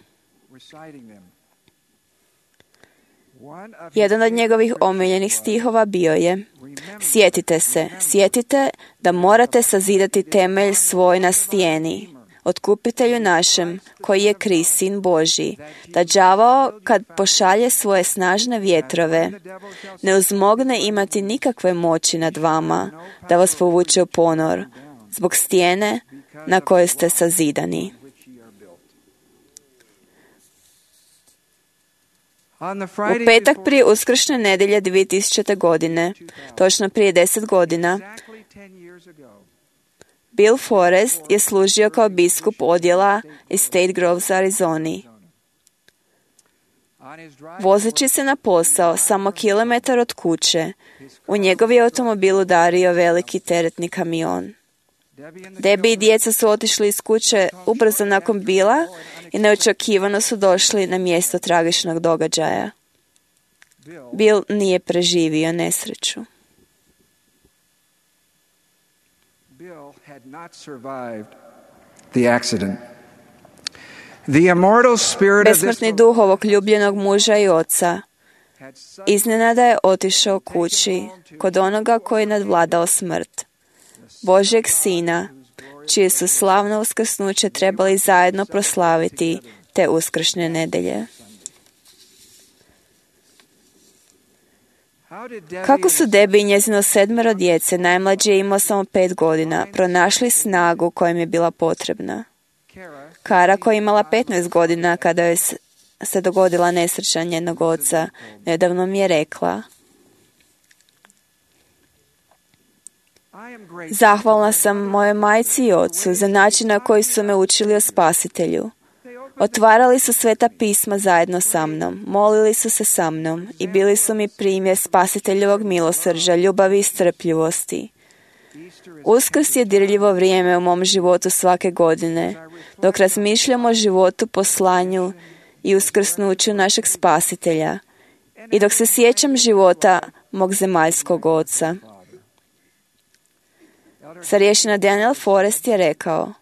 Jedan od njegovih omiljenih stihova bio je: sjetite da morate sazidati temelj svoj na stijeni, otkupitelju našem, koji je Krist, sin Božji, da đavao, kad pošalje svoje snažne vjetrove, ne uzmogne imati nikakve moći nad vama, da vas povuče u ponor, zbog stijene na kojoj ste sazidani. U petak prije Uskršnje nedjelje 2000. godine, točno prije 10 godina, Bill Forrest je služio kao biskup odjela iz State Groves, Arizoni. Vozeći se na posao samo kilometar od kuće, u njegov je automobil udario veliki teretni kamion. Debbie i djeca su otišli iz kuće ubrzo nakon Billa i neočekivano su došli na mjesto tragičnog događaja. Bill nije preživio nesreću. Bill had not survived the accident. The immortal spirit of this Besmrtni duh ovog ljubljenog muža i oca iznenada je otišao kući kod onoga koji je nadvladao smrt, Božjeg Sina, čije su slavno uskrsnuće trebali zajedno proslaviti te uskršnje nedjelje. Kako su Debbie i njezino 7 djece, najmlađi je imao samo 5 godina, pronašli snagu koja im je bila potrebna? Kara, koja je imala 15 godina kada je se dogodila nesreća njenog oca, nedavno mi je rekla: zahvalna sam mojoj majci i ocu za način na koji su me učili o Spasitelju. Otvarali su sveta pisma zajedno sa mnom, molili su se sa mnom i bili su mi primjer Spasiteljevog milosrđa, ljubavi i strpljivosti. Uskrs je dirljivo vrijeme u mom životu svake godine, dok razmišljam o životu, poslanju i uskrsnuću našeg Spasitelja i dok se sjećam života mog zemaljskog oca. Starješina Daniel Forrest je rekao: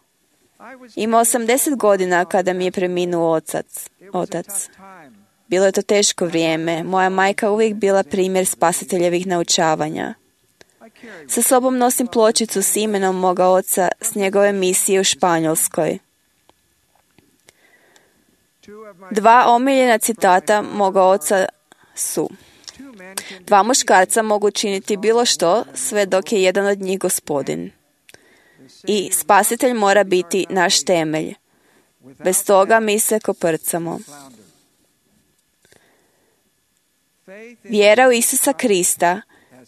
imao sam 10 godina kada mi je preminuo otac. Bilo je to teško vrijeme. Moja majka uvijek bila primjer Spasiteljevih naučavanja. Sa sobom nosim pločicu s imenom moga oca s njegove misije u Španjolskoj. 2 omiljena citata moga oca su: 2 muškarca mogu činiti bilo što, sve dok je jedan od njih Gospodin. I Spasitelj mora biti naš temelj. Bez toga mi se koprcamo. Vjera u Isusa Krista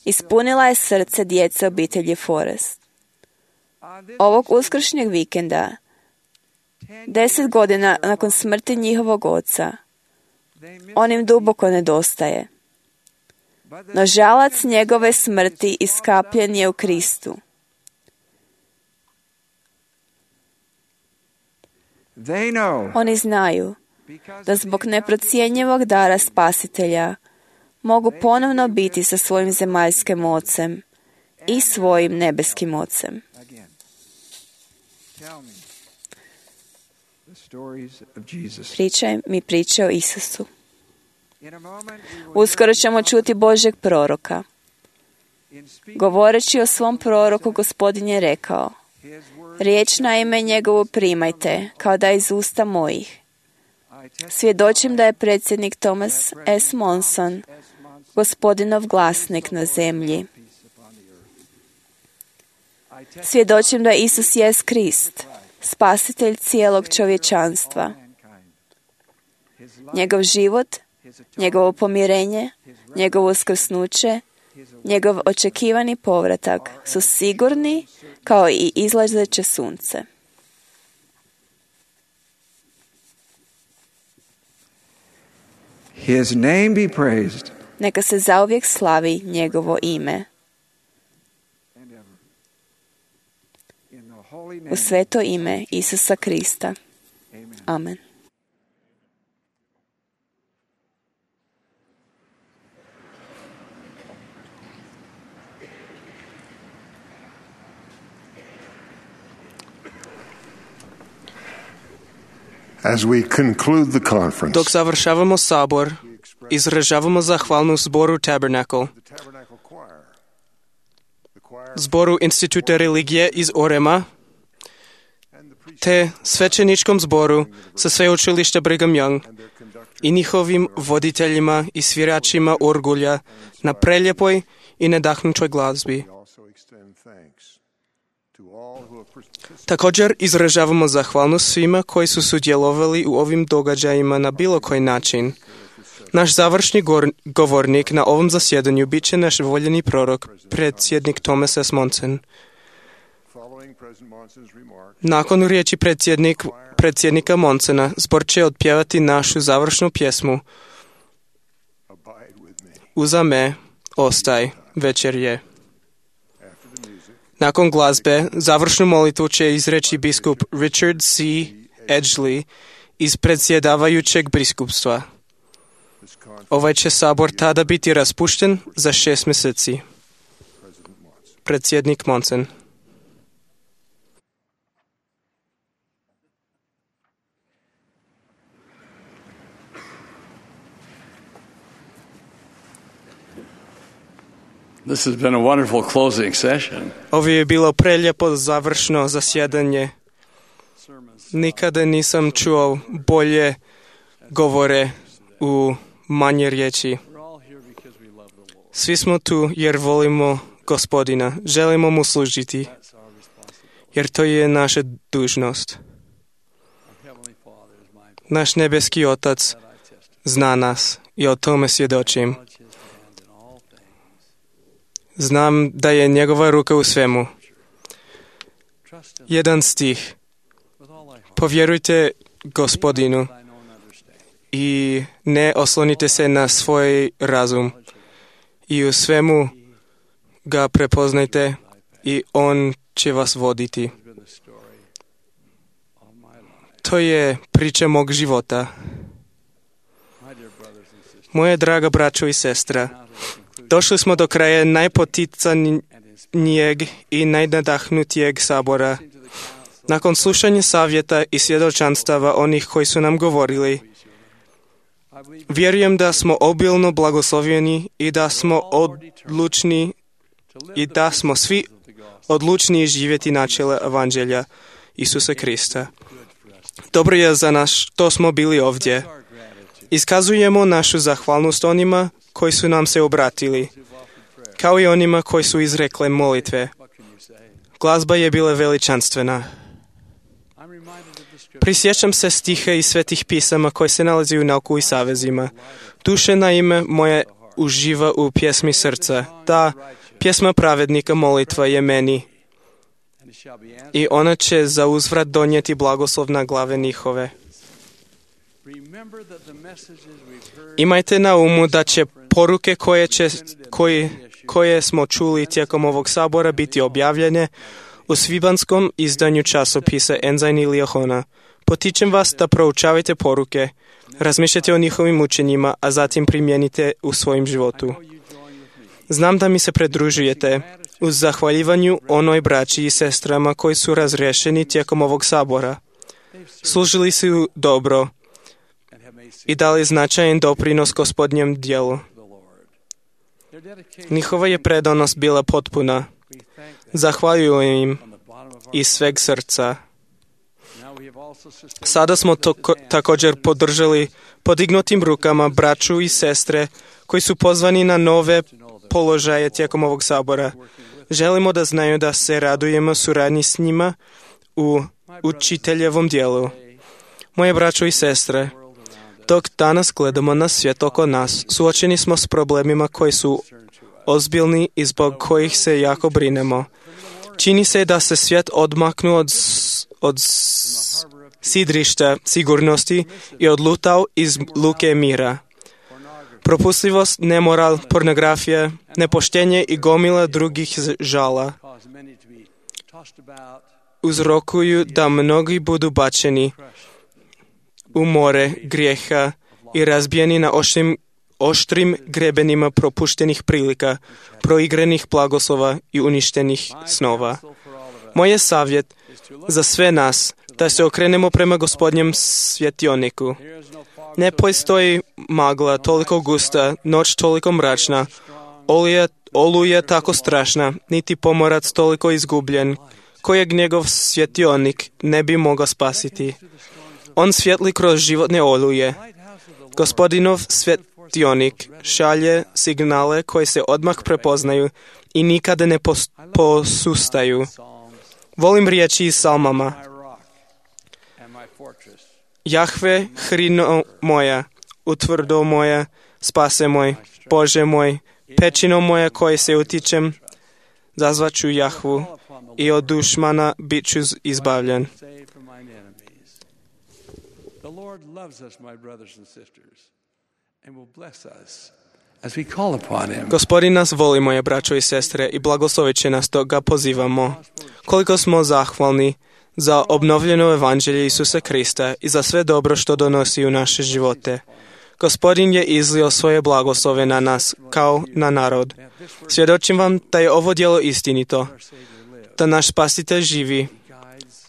ispunila je srce djece obitelji Forrest. Ovog uskršnjeg vikenda, 10 godina nakon smrti njihovog oca, on im duboko nedostaje. No žalac njegove smrti iskapljen je u Kristu. Oni znaju da zbog neprocjenjivog dara Spasitelja mogu ponovno biti sa svojim zemaljskim ocem i svojim nebeskim ocem. Pričaj mi priče o Isusu. Uskoro ćemo čuti Božjeg proroka. Govoreći o svom proroku, Gospodin je rekao: riječ na ime njegovu primajte, kao da iz usta mojih. Svjedočim da je predsjednik Thomas S. Monson Gospodinov glasnik na zemlji. Svjedočim da Isus jest Krist, Spasitelj cijelog čovječanstva. Njegov život, njegovo pomirenje, njegovo uskrsnuće, njegov očekivani povratak su sigurni kao i izlazeće sunce. His name be praised. Neka se zauvijek slavi njegovo ime. U sveto ime Isusa Krista. Amen. As we conclude the conference, Dok završavamo sabor, izražavamo zahvalnost zboru Tabernacle, zboru Instituta religije iz Orema, te svećeničkom zboru sa sveučilišta Brigham Young i njihovim voditeljima i sviračima orgulja na preljepoj i nadahnutoj glazbi. Također izražavamo zahvalnost svima koji su sudjelovali u ovim događajima na bilo koji način. Naš završni govornik na ovom zasjedanju bit će naš voljeni prorok, predsjednik Thomas S. Monson. Nakon riječi predsjednika Monsona, zbor će otpjevati našu završnu pjesmu Uza me, ostaj, večer je. Nakon glazbe, završnu molitvu će izreći biskup Richard C. Edgley iz predsjedavajućeg biskupstva. Ovaj će sabor tada biti raspušten za 6 mjeseci. Predsjednik Monson. This has been a wonderful closing session. Ovo je bilo prelijepo završno zasjedanje. Nikada nisam čuo bolje govore u manje riječi. Svi smo tu jer volimo Gospodina, želimo mu služiti, jer to je naša dužnost. Naš nebeski Otac zna nas i o tome svjedočim. Znam da je njegova ruka u svemu. Jedan stih. Povjerujte Gospodinu i ne oslonite se na svoj razum. I u svemu ga prepoznajte i on će vas voditi. To je priča mog života. Moje draga braćo i sestra, došli smo do kraja najpoticanijeg i najnadahnutijeg sabora. Nakon slušanja savjeta i svjedočanstava onih koji su nam govorili, vjerujem da smo obilno blagoslovljeni i da smo odlučni i da smo svi odlučni živjeti načela evanđelja Isusa Krista. Dobro je za nas što smo bili ovdje. Iskazujemo našu zahvalnost onima koji su nam se obratili, kao i onima koji su izrekle molitve. Glazba je bila veličanstvena. Prisjećam se stiha i svetih pisama koji se nalazi u nauku i savezima. Duše na ime moje uživa u pjesmi srca. Ta pjesma pravednika molitva je meni i ona će za uzvrat donijeti blagoslov na glave njihove. Imajte na umu da će poruke koje smo čuli tijekom ovog sabora biti objavljene u svibanskom izdanju časopisa Enzajn ili Johona. Potičem vas da proučavate poruke, razmišljate o njihovim učenjima, a zatim primijenite u svojim životu. Znam da mi se pridružujete uz zahvaljivanju onoj braći i sestrama koji su razriješeni tijekom ovog sabora. Služili su dobro i dali značajan doprinos Gospodnjem djelu. Njihova je predanost bila potpuna. Zahvaljujem im iz sveg srca. Sada smo također podržali podignutim rukama braću i sestre koji su pozvani na nove položaje tijekom ovog sabora. Želimo da znaju da se radujemo suradnji s njima u učiteljevom dijelu. Moje braćo i sestre, dok danas gledamo na svijet oko nas, suočeni smo s problemima koji su ozbiljni i zbog kojih se jako brinemo. Čini se da se svijet odmaknuo od sidrišta sigurnosti i odlutao iz luke mira. Propustljivost, nemoral, pornografija, nepoštenje i gomila drugih žala uzrokuju da mnogi budu bačeni u more grijeha i razbijeni na oštrim grebenima propuštenih prilika, proigranih blagoslova i uništenih snova. Moj je savjet za sve nas da se okrenemo prema Gospodnjem svjetioniku. Ne postoji magla toliko gusta, noć toliko mračna, oluja tako strašna, niti pomorac toliko izgubljen, kojeg njegov svjetionik ne bi mogao spasiti. On svjetli kroz životne oluje. Gospodinov svjetionik šalje signale koji se odmah prepoznaju i nikada ne posustaju. Volim riječi iz psalmama. Jahve, hrino moja, utvrdo moja, spase moj, Bože moj, pećino moja koje se utičem, zazvaću Jahvu i od dušmana bit ću izbavljen. Gospodin nas voli, moje braćo i sestre, i blagoslovit će nas dok ga pozivamo. Koliko smo zahvalni za obnovljeno evanđelje Isusa Krista i za sve dobro što donosi u naše živote. Gospodin je izlio svoje blagoslove na nas kao na narod. Svjedočim vam da je ovo djelo istinito, da naš Spasitelj živi,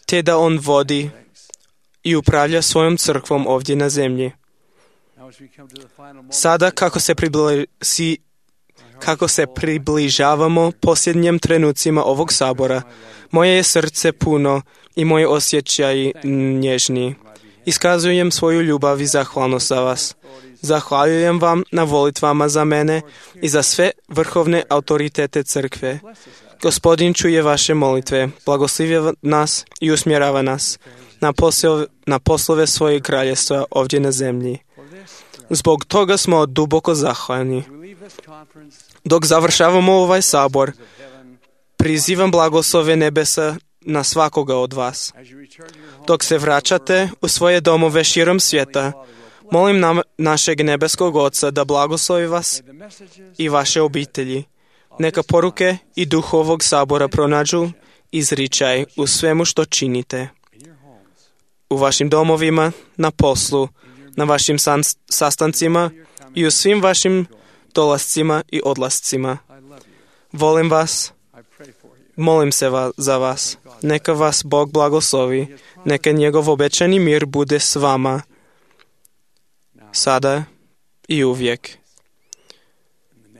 te da on vodi i upravlja svojom crkvom ovdje na zemlji. Sada kako se približavamo posljednjim trenucima ovog sabora, moje je srce puno i moje osjećaji nježni. Iskazujem svoju ljubav i zahvalnost za vas. Zahvaljujem vam na volitvama za mene i za sve vrhovne autoritete crkve. Gospodin čuje vaše molitve, blagoslivlja nas i usmjerava nas na poslove svojeg kraljestva ovdje na zemlji. Zbog toga smo duboko zahvalni. Dok završavamo ovaj sabor, prizivam blagoslove nebesa na svakoga od vas. Dok se vraćate u svoje domove širom svijeta, molim našeg nebeskog Oca da blagoslovi vas i vaše obitelji, Neka poruke i duh ovog sabora pronađu izričaj u svemu što činite. U vašim domovima, na poslu, na vašim sastancima i u svim vašim dolascima i odlascima. Volim vas, molim se za vas. Neka vas Bog blagoslovi, neka njegov obećani mir bude s vama, sada i uvijek.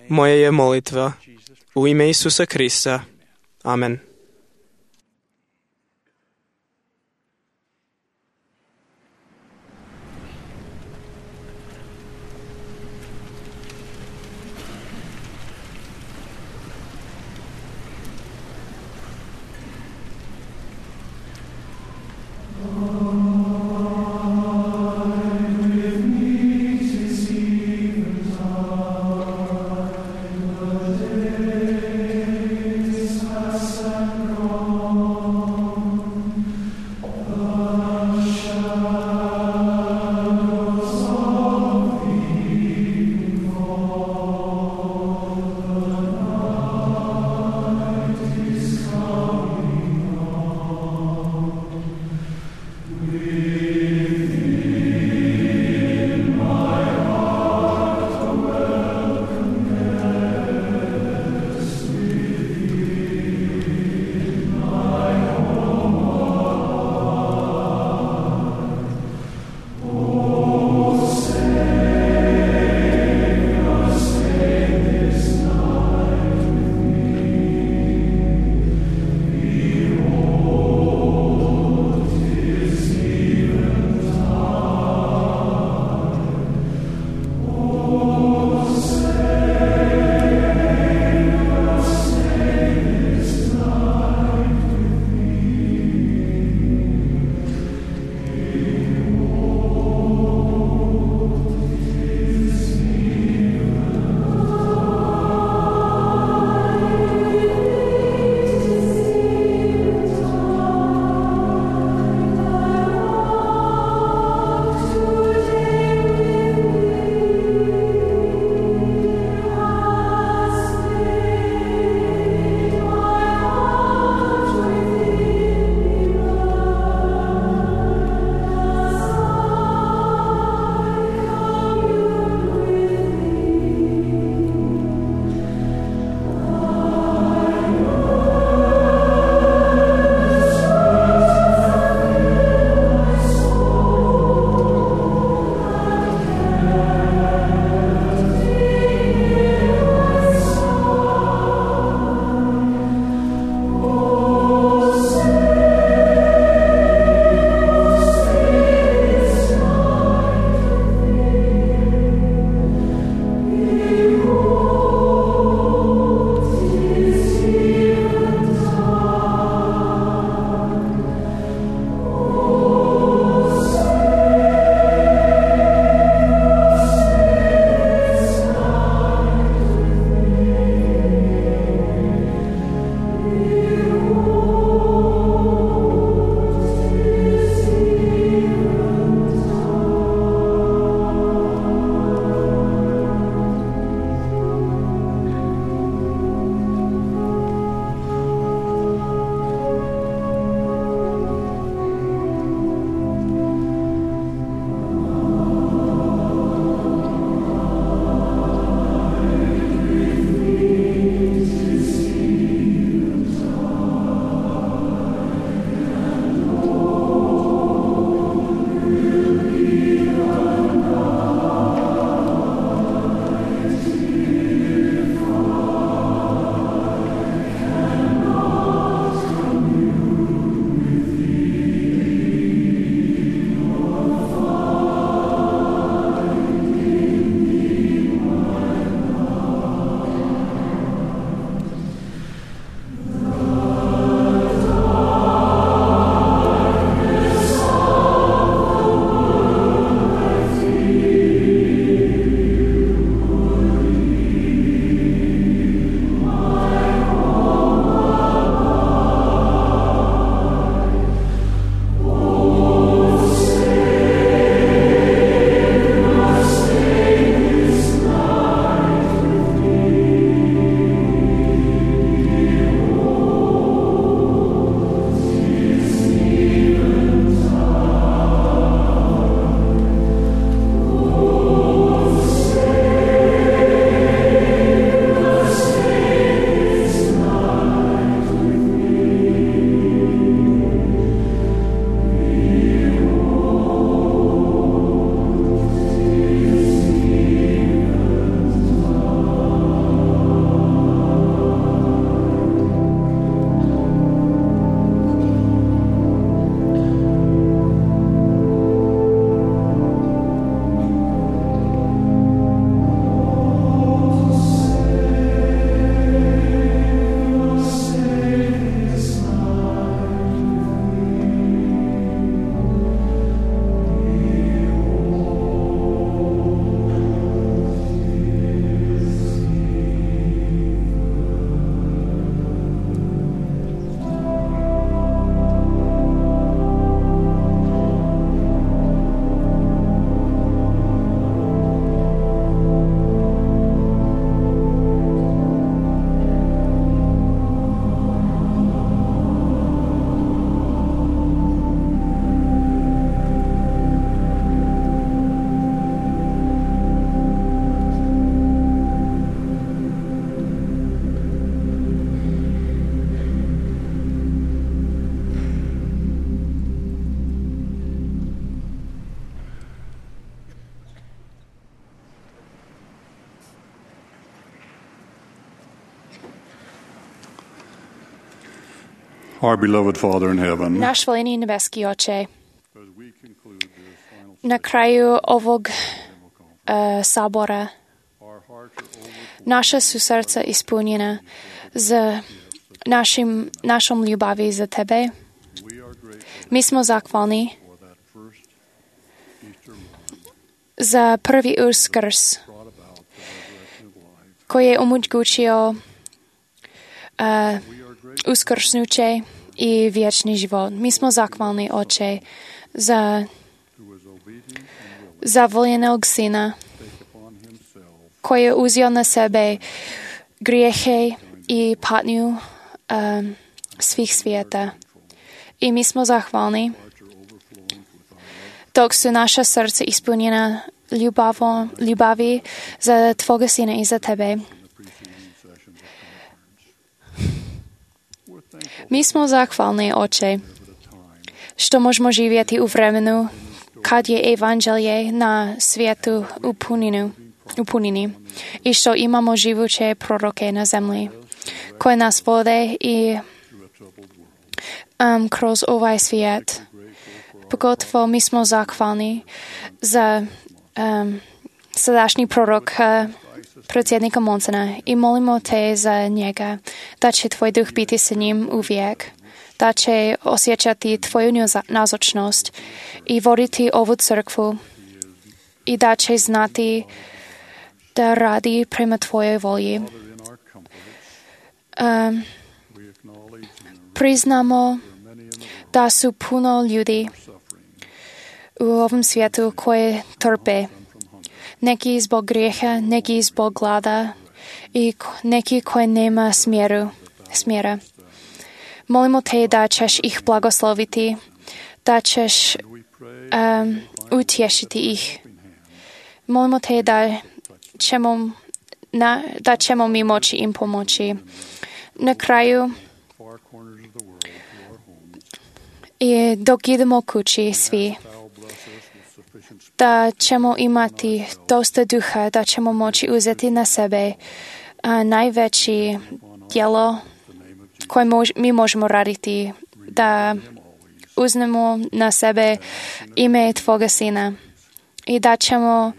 Moja je molitva u ime Isusa Krista. Amen. Son Our beloved Father in heaven, Náš volený nebeský Oče, na kraju ovog sabora naša sú srdca ispunjená s našom ljubavi za Tebe. My smo zahvalni za prvi uskrs koji je omogućio uskrsnuće i vječni život. Mi smo zahvalni, Oče, za voljenog Sina koji je uzeo na sebe grijehe i patnju svih svijeta. I mi smo zahvalni dok su naša srca ispunjena ljubavi za Tvoga Sina i za Tebe. Mi smo zahvalni, Oče, što možemo živjeti u vremenu kad je evanđelje na svijetu u punini i što imamo živuće proroke na zemlji koje nas vode i kroz ovaj svijet. Pogotovo mi smo zahvalni za sadašnji prorok predsjednika Monsona i molimo Te za njega da će Tvoj duh biti sa njim uvijek, da će osjećati Tvoju nazočnost i voditi ovu crkvu i da će znati da radi prema Tvojoj volji. Priznamo da su puno ljudi u ovom svijetu koje trpe. Neki zbog grijeha, neki zbog glada i neki koji nema smjera. Molimo Te da ćeš ih blagosloviti, da ćeš utješiti ih. Molimo Te da ćemo mi moći im pomoći. Na kraju, i dok idemo kući svi, da ćemo imati dosta duha, da ćemo moći uzeti na sebe najveći djelo koje mi možemo raditi, da uzmemo na sebe ime Tvoga Sina i da ćemo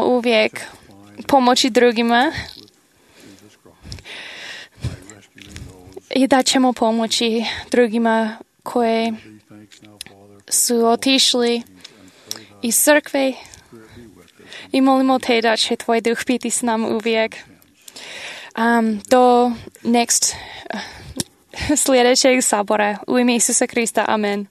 uvijek pomoći drugima i da ćemo pomoći drugima koji su otišli iz crkve i molimo Te da će Tvoj duh biti s nama uvijek. Do sljedećeg sabora. U ime Isusa Krista. Amen.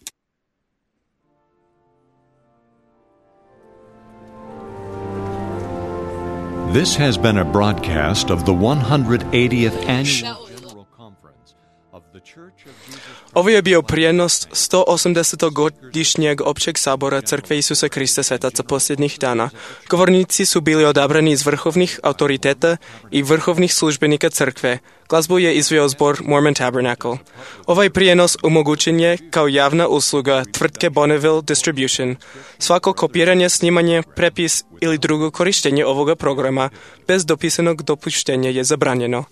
This has been a broadcast of the 180th Annual General Conference of the Church of Jesus. Ovo je bio prijenos 180. godišnjeg općeg sabora Crkve Isusa Krista Svetaca posljednjih dana. Govornici su bili odabrani iz vrhovnih autoriteta i vrhovnih službenika Crkve. Glazbu je izveo zbor Mormon Tabernacle. Ovaj prijenos omogućen je kao javna usluga tvrtke Bonneville Distribution. Svako kopiranje, snimanje, prepis ili drugo korištenje ovoga programa bez dopisanog dopuštenja je zabranjeno.